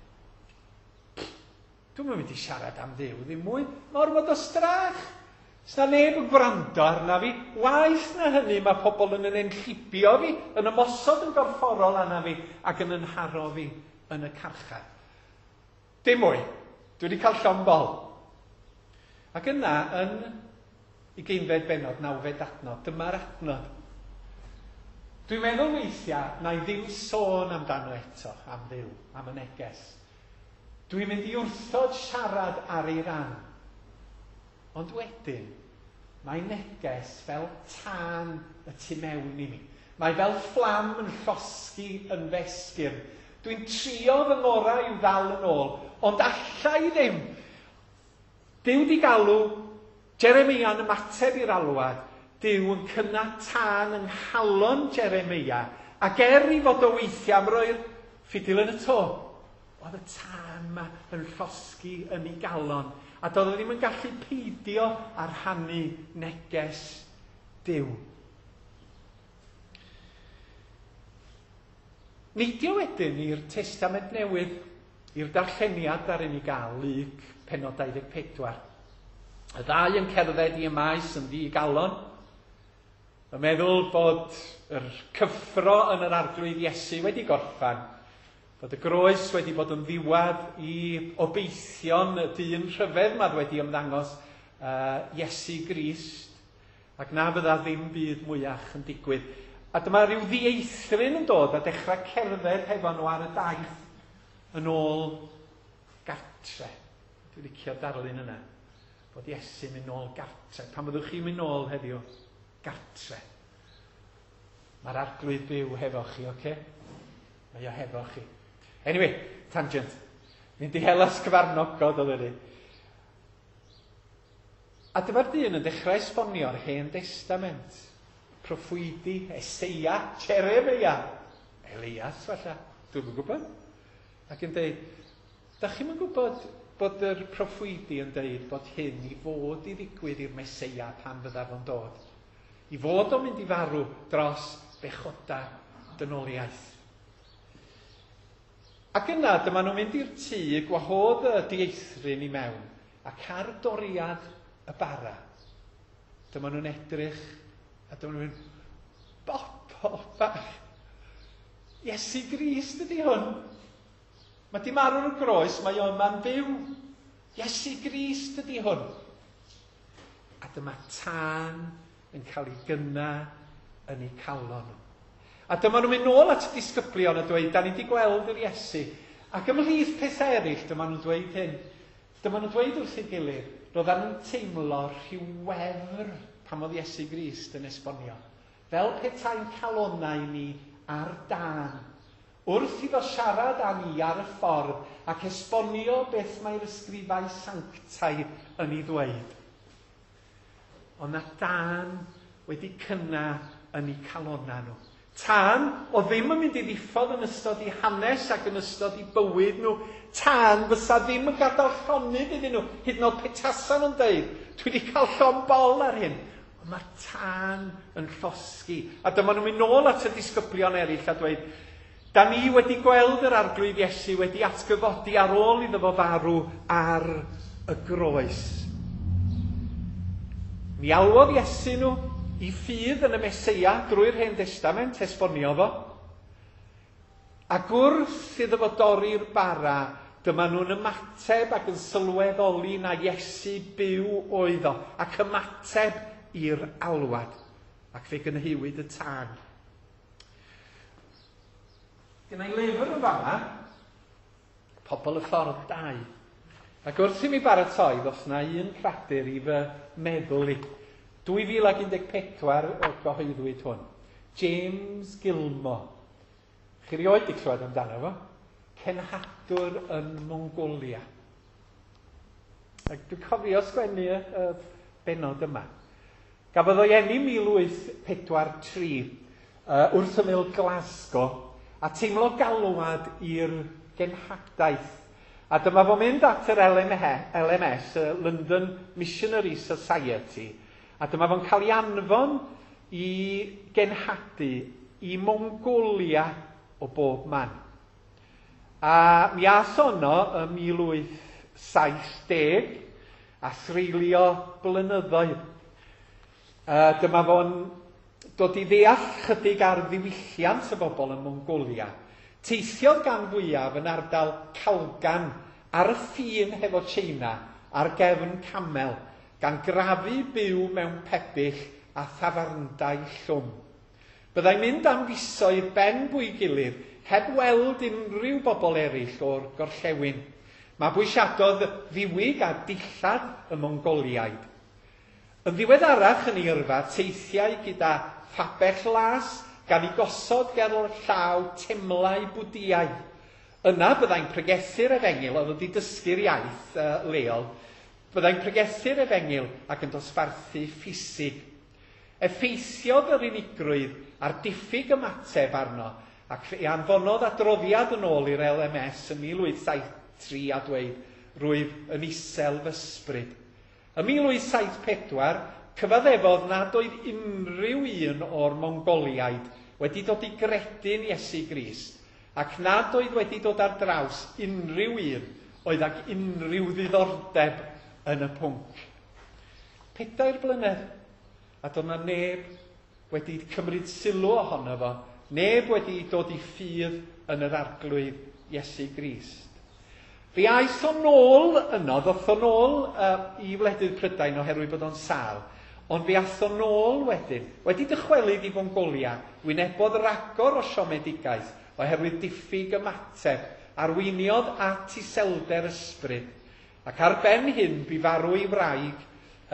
Dwi'm yn mynd i siarad am Dduw ddim mwy. Mae ormod o strach. Sna neb yn gwrando arna fi. Waeth na hynny, mae pobl yn yn enllibio fi, yn ymosod yn gorfforol arna fi ac yn ynharo fi yn y carchar. Dim mwy. Dwi wedi cael llond bol. Ac yna, yn 20fed bennod, 9fed adnod, dyma'r adnod. Dwi'n meddwl weithiau na i ddim sôn amdano eto, am Dduw, am y neges. Dwi'n mynd i wrthod siarad ar ei ran. Ond wedyn, mae neges fel tân y tu mewn i mi. Mae fel fflam yn llosgi yn fesgyrn. Dwi'n trio fy ngorau i'w ddal yn ôl, ond alla i ddim. Duw di galw, Jeremeia'n ymateb i'r alwad, Duw yn cynnau tân yng nghalon Jeremeia, ac er i fod o weithiau am roi'r ffidil yn y to, oedd y tân 'ma yn llosgi yn ei galon, a doedd o ddim yn gallu peidio â rhannu neges Duw. Neidio wedyn i'r Testament Newydd, i'r darlleniad ddaru ni gael, Luc, pennod 24. Y ddau yn cerdded i Emaus yn ddi-galon, yn meddwl bod yr cyffro yn yr Arglwydd Iesu wedi gorffan, bod y groes wedi bod yn ddiwedd i obeithion y dyn rhyfedd 'ma wedi ymddangos, Iesu Grist, Ac na fydda ddim byd mwyach yn digwydd. A dyma rhyw ddieithryn yn dod a dechrau cerdded hefo nhw ar y daith yn ôl gartre. Dwi'n licio'r darlun yna. Bod Iesu'n mynd nôl gartre. Pan fyddwch chi'n mynd nôl heddiw, gartre. Mae'r Arglwydd byw hefo chi, oce? Okay? Mae o hefo chi. Anyway, tangent. Mynd i hela sgyfarnogod oedd ni. A dyma'r dyn yn dechrau esbonio'r Hen Destament, proffwydi, Eseia, Jeremeia, Elias falle, dwi'm yn gwybod, ac yn deud, da chi'm yn gwybod bod yr proffwydi yn deud bod hyn i fod i ddigwydd i'r Meseia pan fydda fo'n dod, i fod o'n mynd i farw dros bechoda dynoliaeth. Ac yna dyma nhw'n mynd i'r tŷ, gwahodd y dieithryn i mewn, Ac ar doriad y bara, dyma nhw'n edrych a dyma nhw'n mynd, bobl bach, Iesu Grist ydy hwn. Mae di marw ar y groes, mae o yma'n fyw. Iesu Grist ydy hwn. A dyma tân yn cael ei gynna yn eu calon nhw. A dyma nhw'n mynd nôl at y disgyblion a dweud, da ni wedi gweld yr Iesu. Ac ymhlith pethau eraill, dyma nhw'n dweud hyn, Dyma nhw'n dweud wrth ei gilydd, roeddan nhw'n teimlo rhyw wefr pan oedd Iesu Grist yn esbonio, fel petai'n calonnau ni ar dân, wrth iddo siarad â ni ar y ffordd ac esbonio beth mae'r ysgrifau sanctaidd yn ei ddweud. Oedd 'na dân wedi cynnau yn eu calonnau nhw. Tân oedd ddim yn mynd i ddiffodd yn ystod eu hanes ac yn ystod eu bywyd nhw. Tân fysa ddim yn gadael llonydd iddyn nhw, hyd yn oed petasa nhw'n deud, dwi wedi cael llond bol ar hyn. Ond mae'r tân yn llosgi. A dyma nhw'n mynd nôl at y disgyblion eraill a dweud, da ni wedi gweld yr Arglwydd Iesu wedi atgyfodi ar ôl iddo fo farw ar y groes. Mi alwodd Iesu nhw i ffydd yn y Meseia drwy'r Hen Destament, esboniodd o. Ac wrth iddo fo dorri'r bara, dyma nhw'n ymateb ac yn sylweddoli na Iesu byw oedd o, ac ymateb i'r alwad. Ac fe gynheuwyd y tân. Gynna i lyfr yn fama, Pobl y Ffordd 2. Ac wrth i mi baratoi, ddoth 'na un cradur i fy meddwl i. 2014 y gyhoeddwyd hwn. James Gilmore. Chi rioed 'di clywed amdano fo? Cenhadwr yn Mongolia. Ac dwi'n cofio sgwennu y, y benod yma. Gafodd o'i eni 1843 wrth ymyl Glasgow a teimlo galwad i'r genhadaeth. A dyma fo'n mynd at yr LMS, y London Missionary Society, a dyma fo'n cael ei anfon i genhadu i Mongolia o bob man. A mi ath o yno ym 1870 a threulio blynyddoedd. Dyma fo'n dod i ddeall chydig ar ddiwylliant y bobl yn Mongolia. Teithiodd gan fwyaf yn ardal Kalgan ar y ffin hefo Tsieina ar gefn camel, gan grafu byw mewn pebyll a thafarndai llwm. Byddai'n mynd am fisoedd ben bwygilydd heb weld unrhyw bobl eraill o'r gorllewin. Mabwysiadodd ddiwyg a dillad y Mongoliaid. Yn ddiweddarach yn ei yrfa, teithiai gyda phabell las gan ei gosod ger llaw temlau Bwdïaidd. Yna byddai'n pregethu'r efengyl, oedd wedi dysgu'r iaith leol, byddai'n pregethu'r efengyl ac yn dosbarthu ffisig. Effeithiodd yr unigrwydd a'r diffyg ymateb arno, ac fe anfonodd adroddiad yn ôl i'r LMS yn 1873 a dweud, rwyf yn isel fy ysbryd. Ym 1874, cyfaddefodd nad oedd unrhyw un o'r Mongoliaid wedi dod i gredu'n Iesu Grist, ac nad oedd wedi dod ar draws unrhyw un oedd ag unrhyw ddiddordeb yn y pwnc. 4 blynedd, a doedd 'na neb wedi cymryd sylw ohono fo, neb wedi dod i ffydd yn yr Arglwydd Iesu Grist. Fe aeth o nôl yno, ddoth o nôl i wledydd Prydain oherwydd bod o'n sâl, ond fe ath o nôl wedyn, wedi dychwelyd i Fongolia, wynebodd ragor o siomedigaeth oherwydd diffyg ymateb, arweiniodd at iselder ysbryd, ac ar ben hyn bu farw ei wraig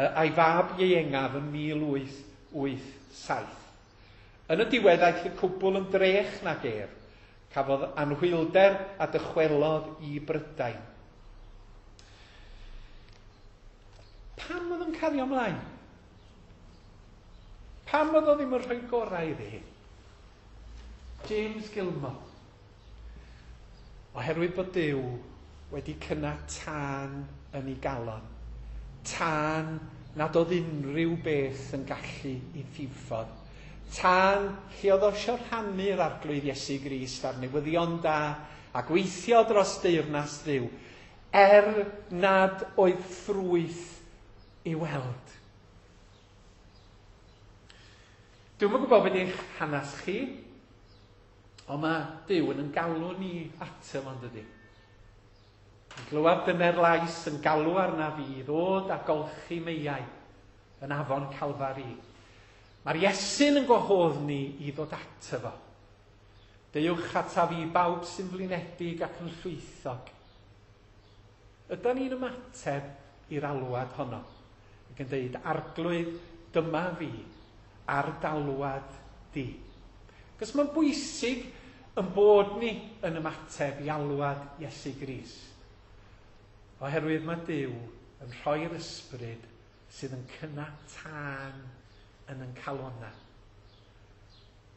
a'i fab ieuengaf yn 1887. Yn y diwedd aeth y cwbl yn drech nag ef. Cafodd anhwylder a dychwelodd i Brydain. Pam oedd o'n cario ymlaen? Pam oedd o ddim yn rhoi gorau iddi hi? James Gilmore. Oherwydd bod Duw wedi cynnau tân yn ei galon. Tân nad oedd unrhyw beth yn gallu ei ddiffodd. Tân lle oedd o eisiau rhannu'r Arglwydd Iesu Grist a'r newyddion da a gweithio dros deyrnas Dduw, er nad oedd ffrwyth i weld. Dwi'm yn gwybod beth eich hanes chi, ond mae Duw yn galw ni ato fo, dydy? Yn glywed dyner lais yn galw arna fi i ddod a golchi meiau yn afon Calfari. Mae'r Iesu'n yn gwahodd ni i ddod ato fo. Deuwch ata fi bawb sy'n flinedig ac yn llwythog. Ydan ni'n ymateb i'r alwad honno ac yn deud, Arglwydd, dyma fi, ar d'alwad di. Cos mae'n bwysig yn bod ni yn ymateb i alwad Iesu Grist. Oherwydd mae Duw yn rhoi'r ysbryd sydd yn cynnau tân yn ein calonnau.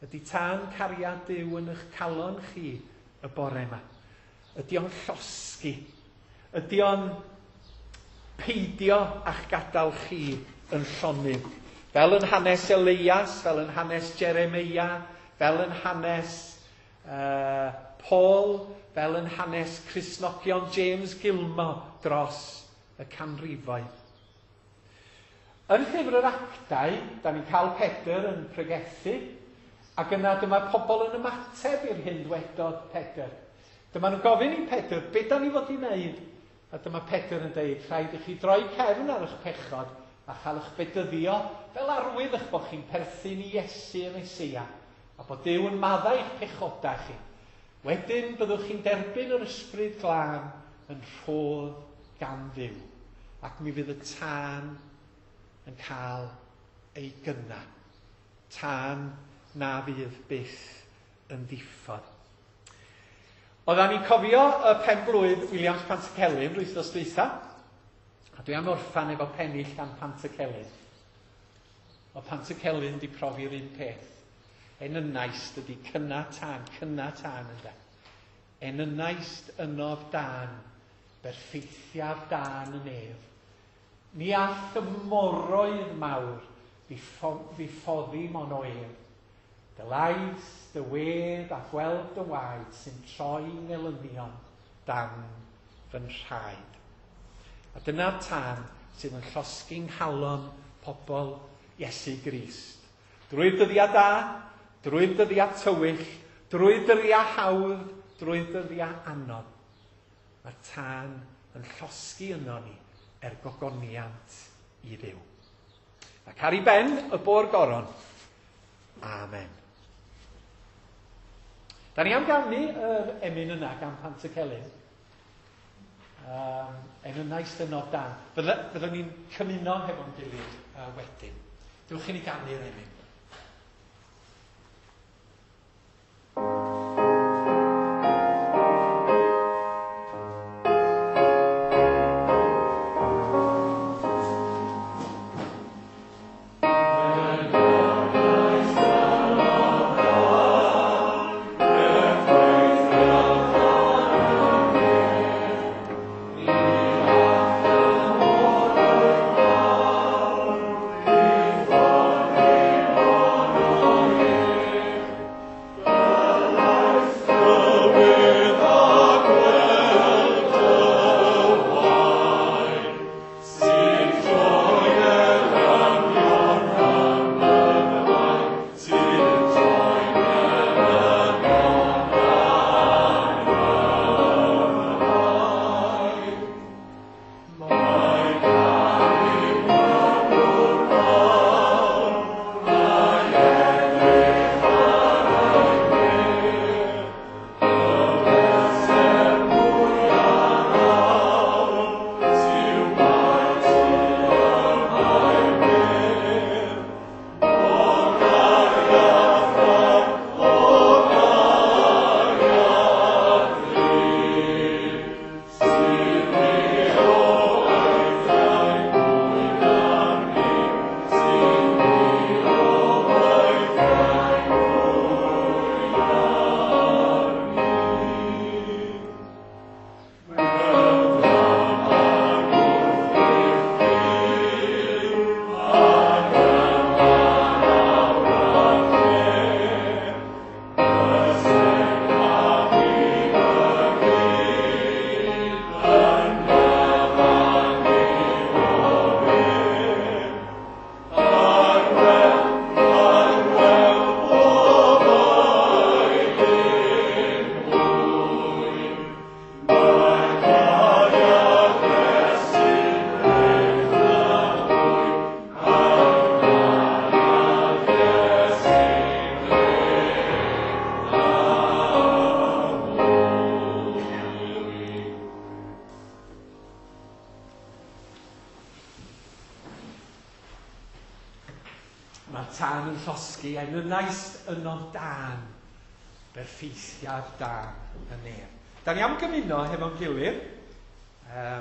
Ydy tân cariad Duw yn eich calon chi y bore yma? Ydy o'n llosgi? Ydy o'n peidio a'ch gadael chi yn llonydd? Fel yn hanes Elias, fel yn hanes Jeremeia, fel yn hanes Paul, fel yn hanes Cristnogion James Gilmore dros y canrifoedd. Yn llyfr yr Actau, da ni'n cael Pedr yn pregethu, ac yna dyma pobl yn ymateb i'r hyn dwedodd Pedr. Dyma nhw'n gofyn i Pedr, be da ni fod i wneud? A dyma Pedr yn deud, rhaid i chi droi cefn ar eich pechod a chael eich bedyddio fel arwydd eich bod chi'n perthyn i Iesu y Meseia, a bod Duw yn maddau eich pechodau chi. Wedyn byddwch chi'n derbyn yr Ysbryd Glân yn rhodd gan Dduw, ac mi fydd y tân yn cael ei gynnau. Tân na fydd byth yn ddiffodd. Oeddan ni'n cofio y pen-blwydd Williams Pantycelyn wythnos dwytha, a dwi am orffan efo pennill gan Pantycelyn. Oedd Pantycelyn di profi'r un peth. Enynnaist ydi cynna tân, cynna tân ynde. Enynnaist ynof dân, berffeithiaf dân y nef. Ni all y moroedd mawr ddiffoddi mon o ef. Dy lais, dy wedd a gweld dy waed sy'n troi ngelynion dan fy nhraed. A dyna'r tân sydd yn llosgi nghalon pobl Iesu Grist. Drwy'r dyddiau da, drwy'r dyddiau tywyll, drwy'r dyddiau hawdd, drwy'r dyddiau anodd. Mae'r tân yn llosgi yno ni er gogoniant i Dduw. Ac ar ei ben y bo'r goron. Amen. Da ni am ganu yr emyn yna gan Pantycelyn. Emynau synodd dan. Fyddwn ni'n cymuno hefo'n gilydd wedyn. Dewch i ni ganu'r emyn. Mae'r tân yn llosgi, enynais yno dân, berffeithiad da y nef. Da ni am gymuno hefo'n gilydd.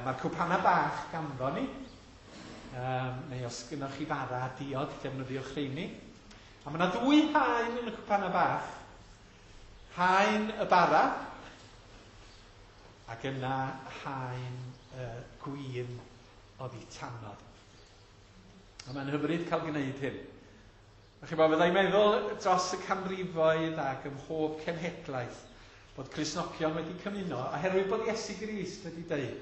Mae'r cwpanau bach ganddo ni. Neu os gynnwch chi fara a diod, defnyddiwch rheini. A mae yna ddwy haen yn y cwpanau bach. Haen y bara, ac yna haen y gwin oddi tanodd. A mae'n hyfryd cael gwneud hyn. A chi'n bod, fyddai'n meddwl dros y canrifoedd ac ym mhob cenhedlaeth bod Cristnogion wedi cymuno oherwydd bod Iesu Grist wedi dweud.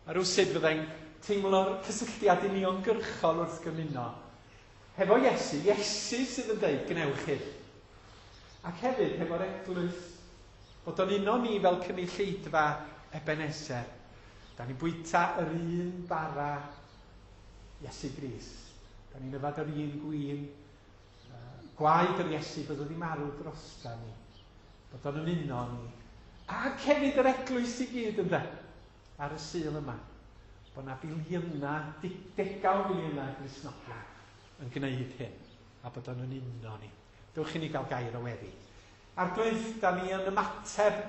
A rhywsut fyddai'n teimlo'r cysylltiad uniongyrchol wrth gymuno. Hefo Iesu, Iesu sydd yn dweud, gwnewch hyn. Ac hefyd hefo'r eglwys, bod o'n uno ni fel cynulleidfa Ebenezer. Da ni'n bwyta yr un bara Iesu Grist. Da ni'n yfad yr un gwin, gwaed yr Iesu bod wedi marw drosta ni. Bod o'n ymuno ni. Ac hefyd yr eglwys i gyd ynde, ar y Sul yma. Bod na biliynau, degau o biliynau Gristnogion yn gwneud hyn. A bod o'n ymuno ni. Dewch i ni gael gair o weddi. Arglwydd, da ni yn ymateb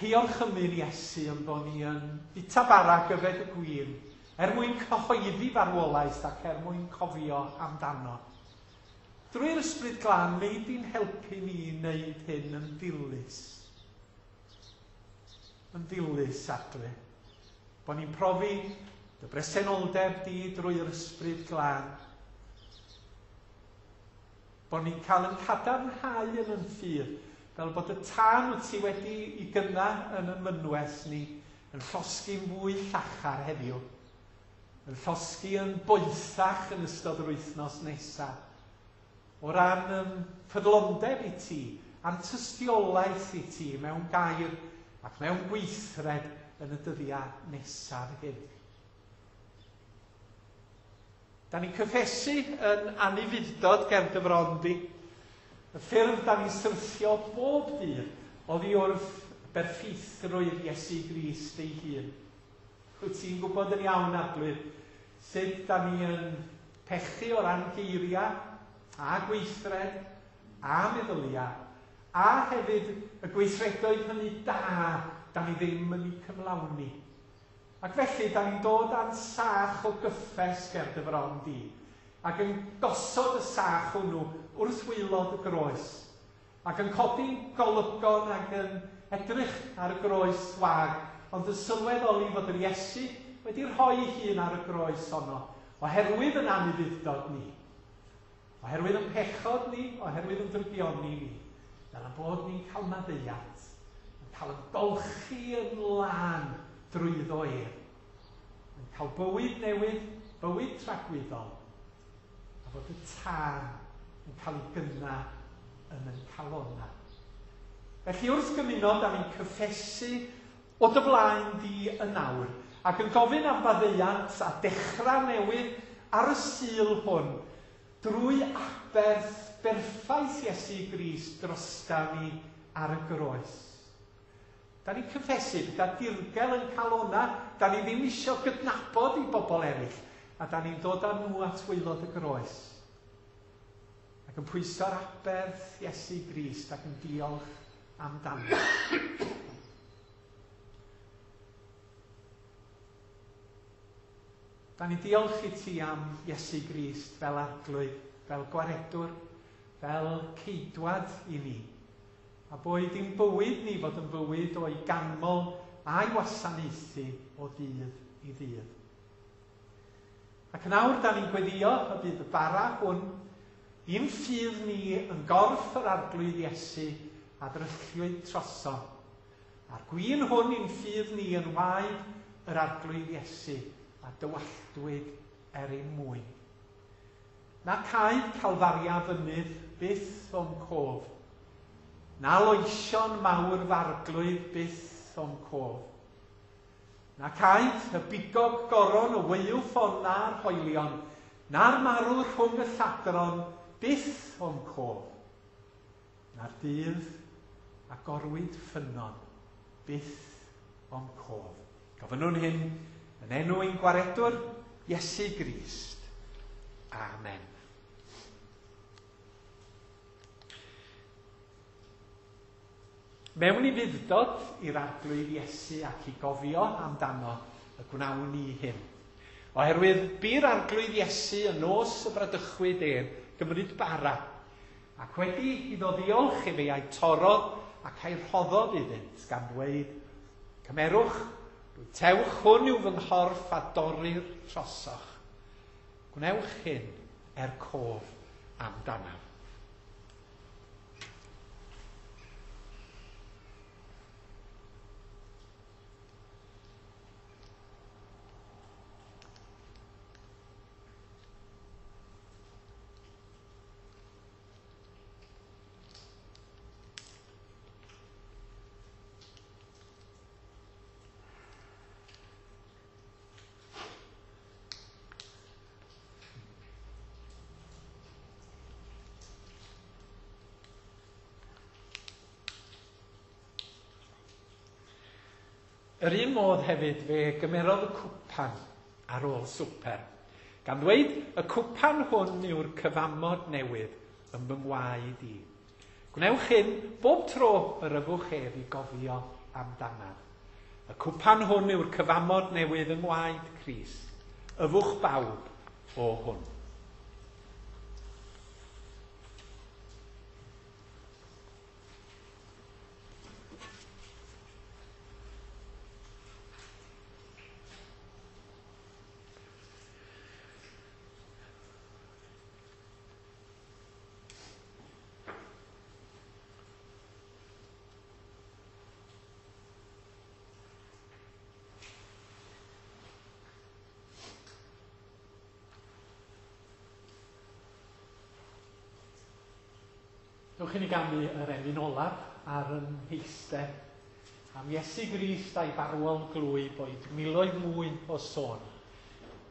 hiolchymyn Iesu yn bod ni yn bwyta bara ac yfed y gwin, er mwyn cyhoeddi farwolaeth ac er mwyn cofio amdano. Drwy'r Ysbryd Glân, wnei di'n helpu ni i wneud hyn yn ddilys. Yn ddilys, Arglwydd. Bod ni'n profi dy bresenoldeb di drwy'r Ysbryd Glân. Bod ni'n cael yn cadarnhau yn yn ffydd, fel bod y tân wyt ti wedi i gynna yn y mynwes ni yn llosgi'n fwy llachar heddiw, yn llosgi yn boethach yn ystod yr wythnos nesaf. O ran yn ffyddlondeb i ti, a'n tystiolaeth i ti mewn gair ac mewn gweithred yn y dyddiau nesaf hyn. Da ni'n cyffesu yn anufudd-dod ger dy fron di. Y ffyrdd da ni'n syrthio bob dydd oddi wrth berffeithrwydd Iesu Grist ei hun. Wyt ti'n gwybod yn iawn, Arglwydd, sut da ni yn pechu o ran geiriau a gweithred a meddyliau, a hefyd y gweithredoedd hynny da da ni ddim yn eu cyflawni. Ac felly, da ni'n dod â'n sach o gyffes ger dy fron di, ac yn gosod y sach hwnnw wrth waelod y groes, ac yn codi'n golygon ac yn edrych ar y groes wag, ond yn sylweddoli fod yr Iesu wedi rhoi ei hun ar y groes honno, oherwydd yn anufudd-dod ni, oherwydd yn pechod ni, oherwydd yn drygioni ni, fel ein bod ni'n cael maddeuant, yn cael yn golchi yn lân drwyddo ef, yn cael bywyd newydd, bywyd tragwyddol, a fod y tân yn cael ei gynna yn yn calonnau. Felly wrth gymuno, da ni'n cyffesu o dy flaen di yn awr, ac yn gofyn am faddeuant a dechrau newydd ar y Sul hwn, drwy aberth berffaith Iesu Grist drosta ni ar y groes. Da ni'n cyffesu pethau dirgel yn calonna, da ni ddim isio gydnabod i bobl eraill, a da ni'n dod â nhw at waelod y groes. Ac yn pwyso'r aberth Iesu Grist ac yn diolch amdano. Da ni'n diolch i ti am Iesu Grist fel Arglwydd, fel Gwaredwr, fel Ceidwad i ni. A boed i'n bywyd ni fod yn fywyd o'i ganmol a'i wasanaethu o ddydd i ddydd. Ac yn awr da ni'n gweddio y bydd y bara hwn i'n ffydd ni yn gorff yr Arglwydd Iesu a ddrylliwyd trosom. A'r gwin hwn i'n ffydd ni yn waed yr Arglwydd Iesu a dywalltwyd er ein mwyn. Na caed Calfaria fynydd byth o'm cof, na loesion mawr f'Arglwydd byth o'm cof. Na caed y bigog goron y weuw ffon na'r hoelion, na'r marw rhwng y lladron byth o'm cof. Na'r dydd a gorwyd ffynnon byth o'm cof. Gofynnwn hyn yn enw ein Gwaredwr, Iesu Grist. Amen. Mewn ufudd-dod i'r Arglwydd Iesu ac i gofio amdano y gwnawn ni hyn. Oherwydd bu'r Arglwydd Iesu y nos y bradychwyd ef gymryd bara, ac wedi iddo ddiolch i fe a'i torrodd ac a'i rhoddodd iddynt, gan ddweud, Cymerwch, bwytewch, hwn yw fy nghorff a dorrir trosoch. Gwnewch hyn er cof amdanaf. Yr un modd hefyd fe gymerodd y cwpan ar ôl swper, gan ddweud, y cwpan hwn yw'r cyfamod newydd yn fy ngwaed i. Gwnewch hyn bob tro yr yfwch ef i gofio amdanaf. Y cwpan hwn yw'r cyfamod newydd yng ngwaed Crist. Yfwch bawb o hwn. Dewch i ni ganu yr emyn olaf ar yn heistedd. Am Iesu Grist a'i farwol glwy boed miloedd mwy o sôn.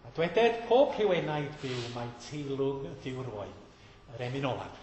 A dweded pob rhyw enaid byw mai teilwng ydyw'r oen. Yr emyn olaf.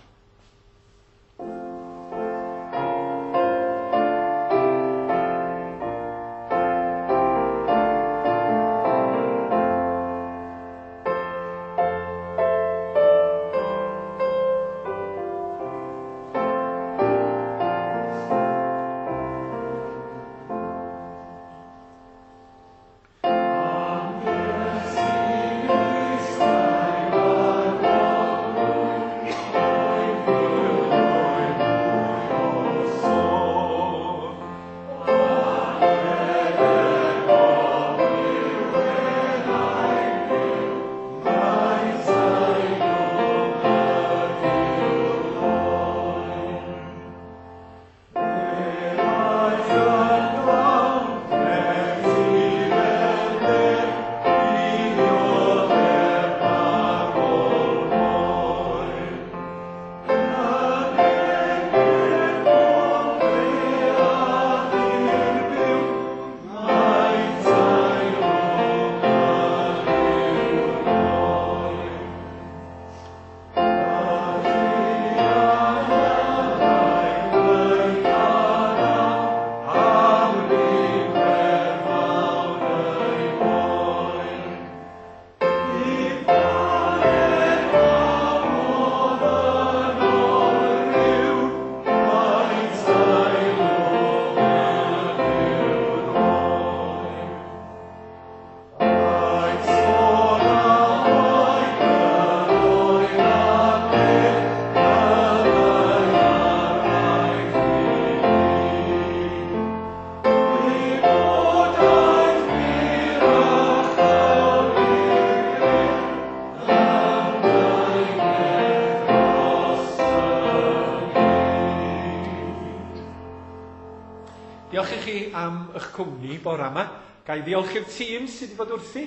Diolch i chi am eich cwmni bore yma. Ga i ddiolch i'r tîm sydd wedi bod wrthi.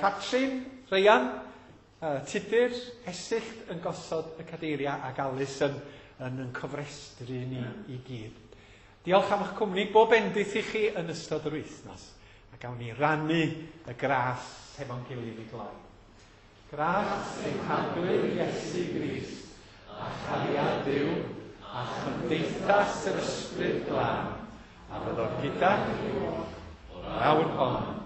Catrin, Ryan, Tudur, Esyllt yn gosod y cadeiriau ac Alys yn cofrestru ni i gyd. Diolch am eich cwmni, bob bendith i chi yn ystod yr wythnos. A gawn ni rannu y gras hefo'n gilydd i gloi. Gras ein Harglwydd Iesu Grist, a chariad Duw, a chymdeithas yr Ysbryd Glân, a fyddo gyda chi o'r awr hon.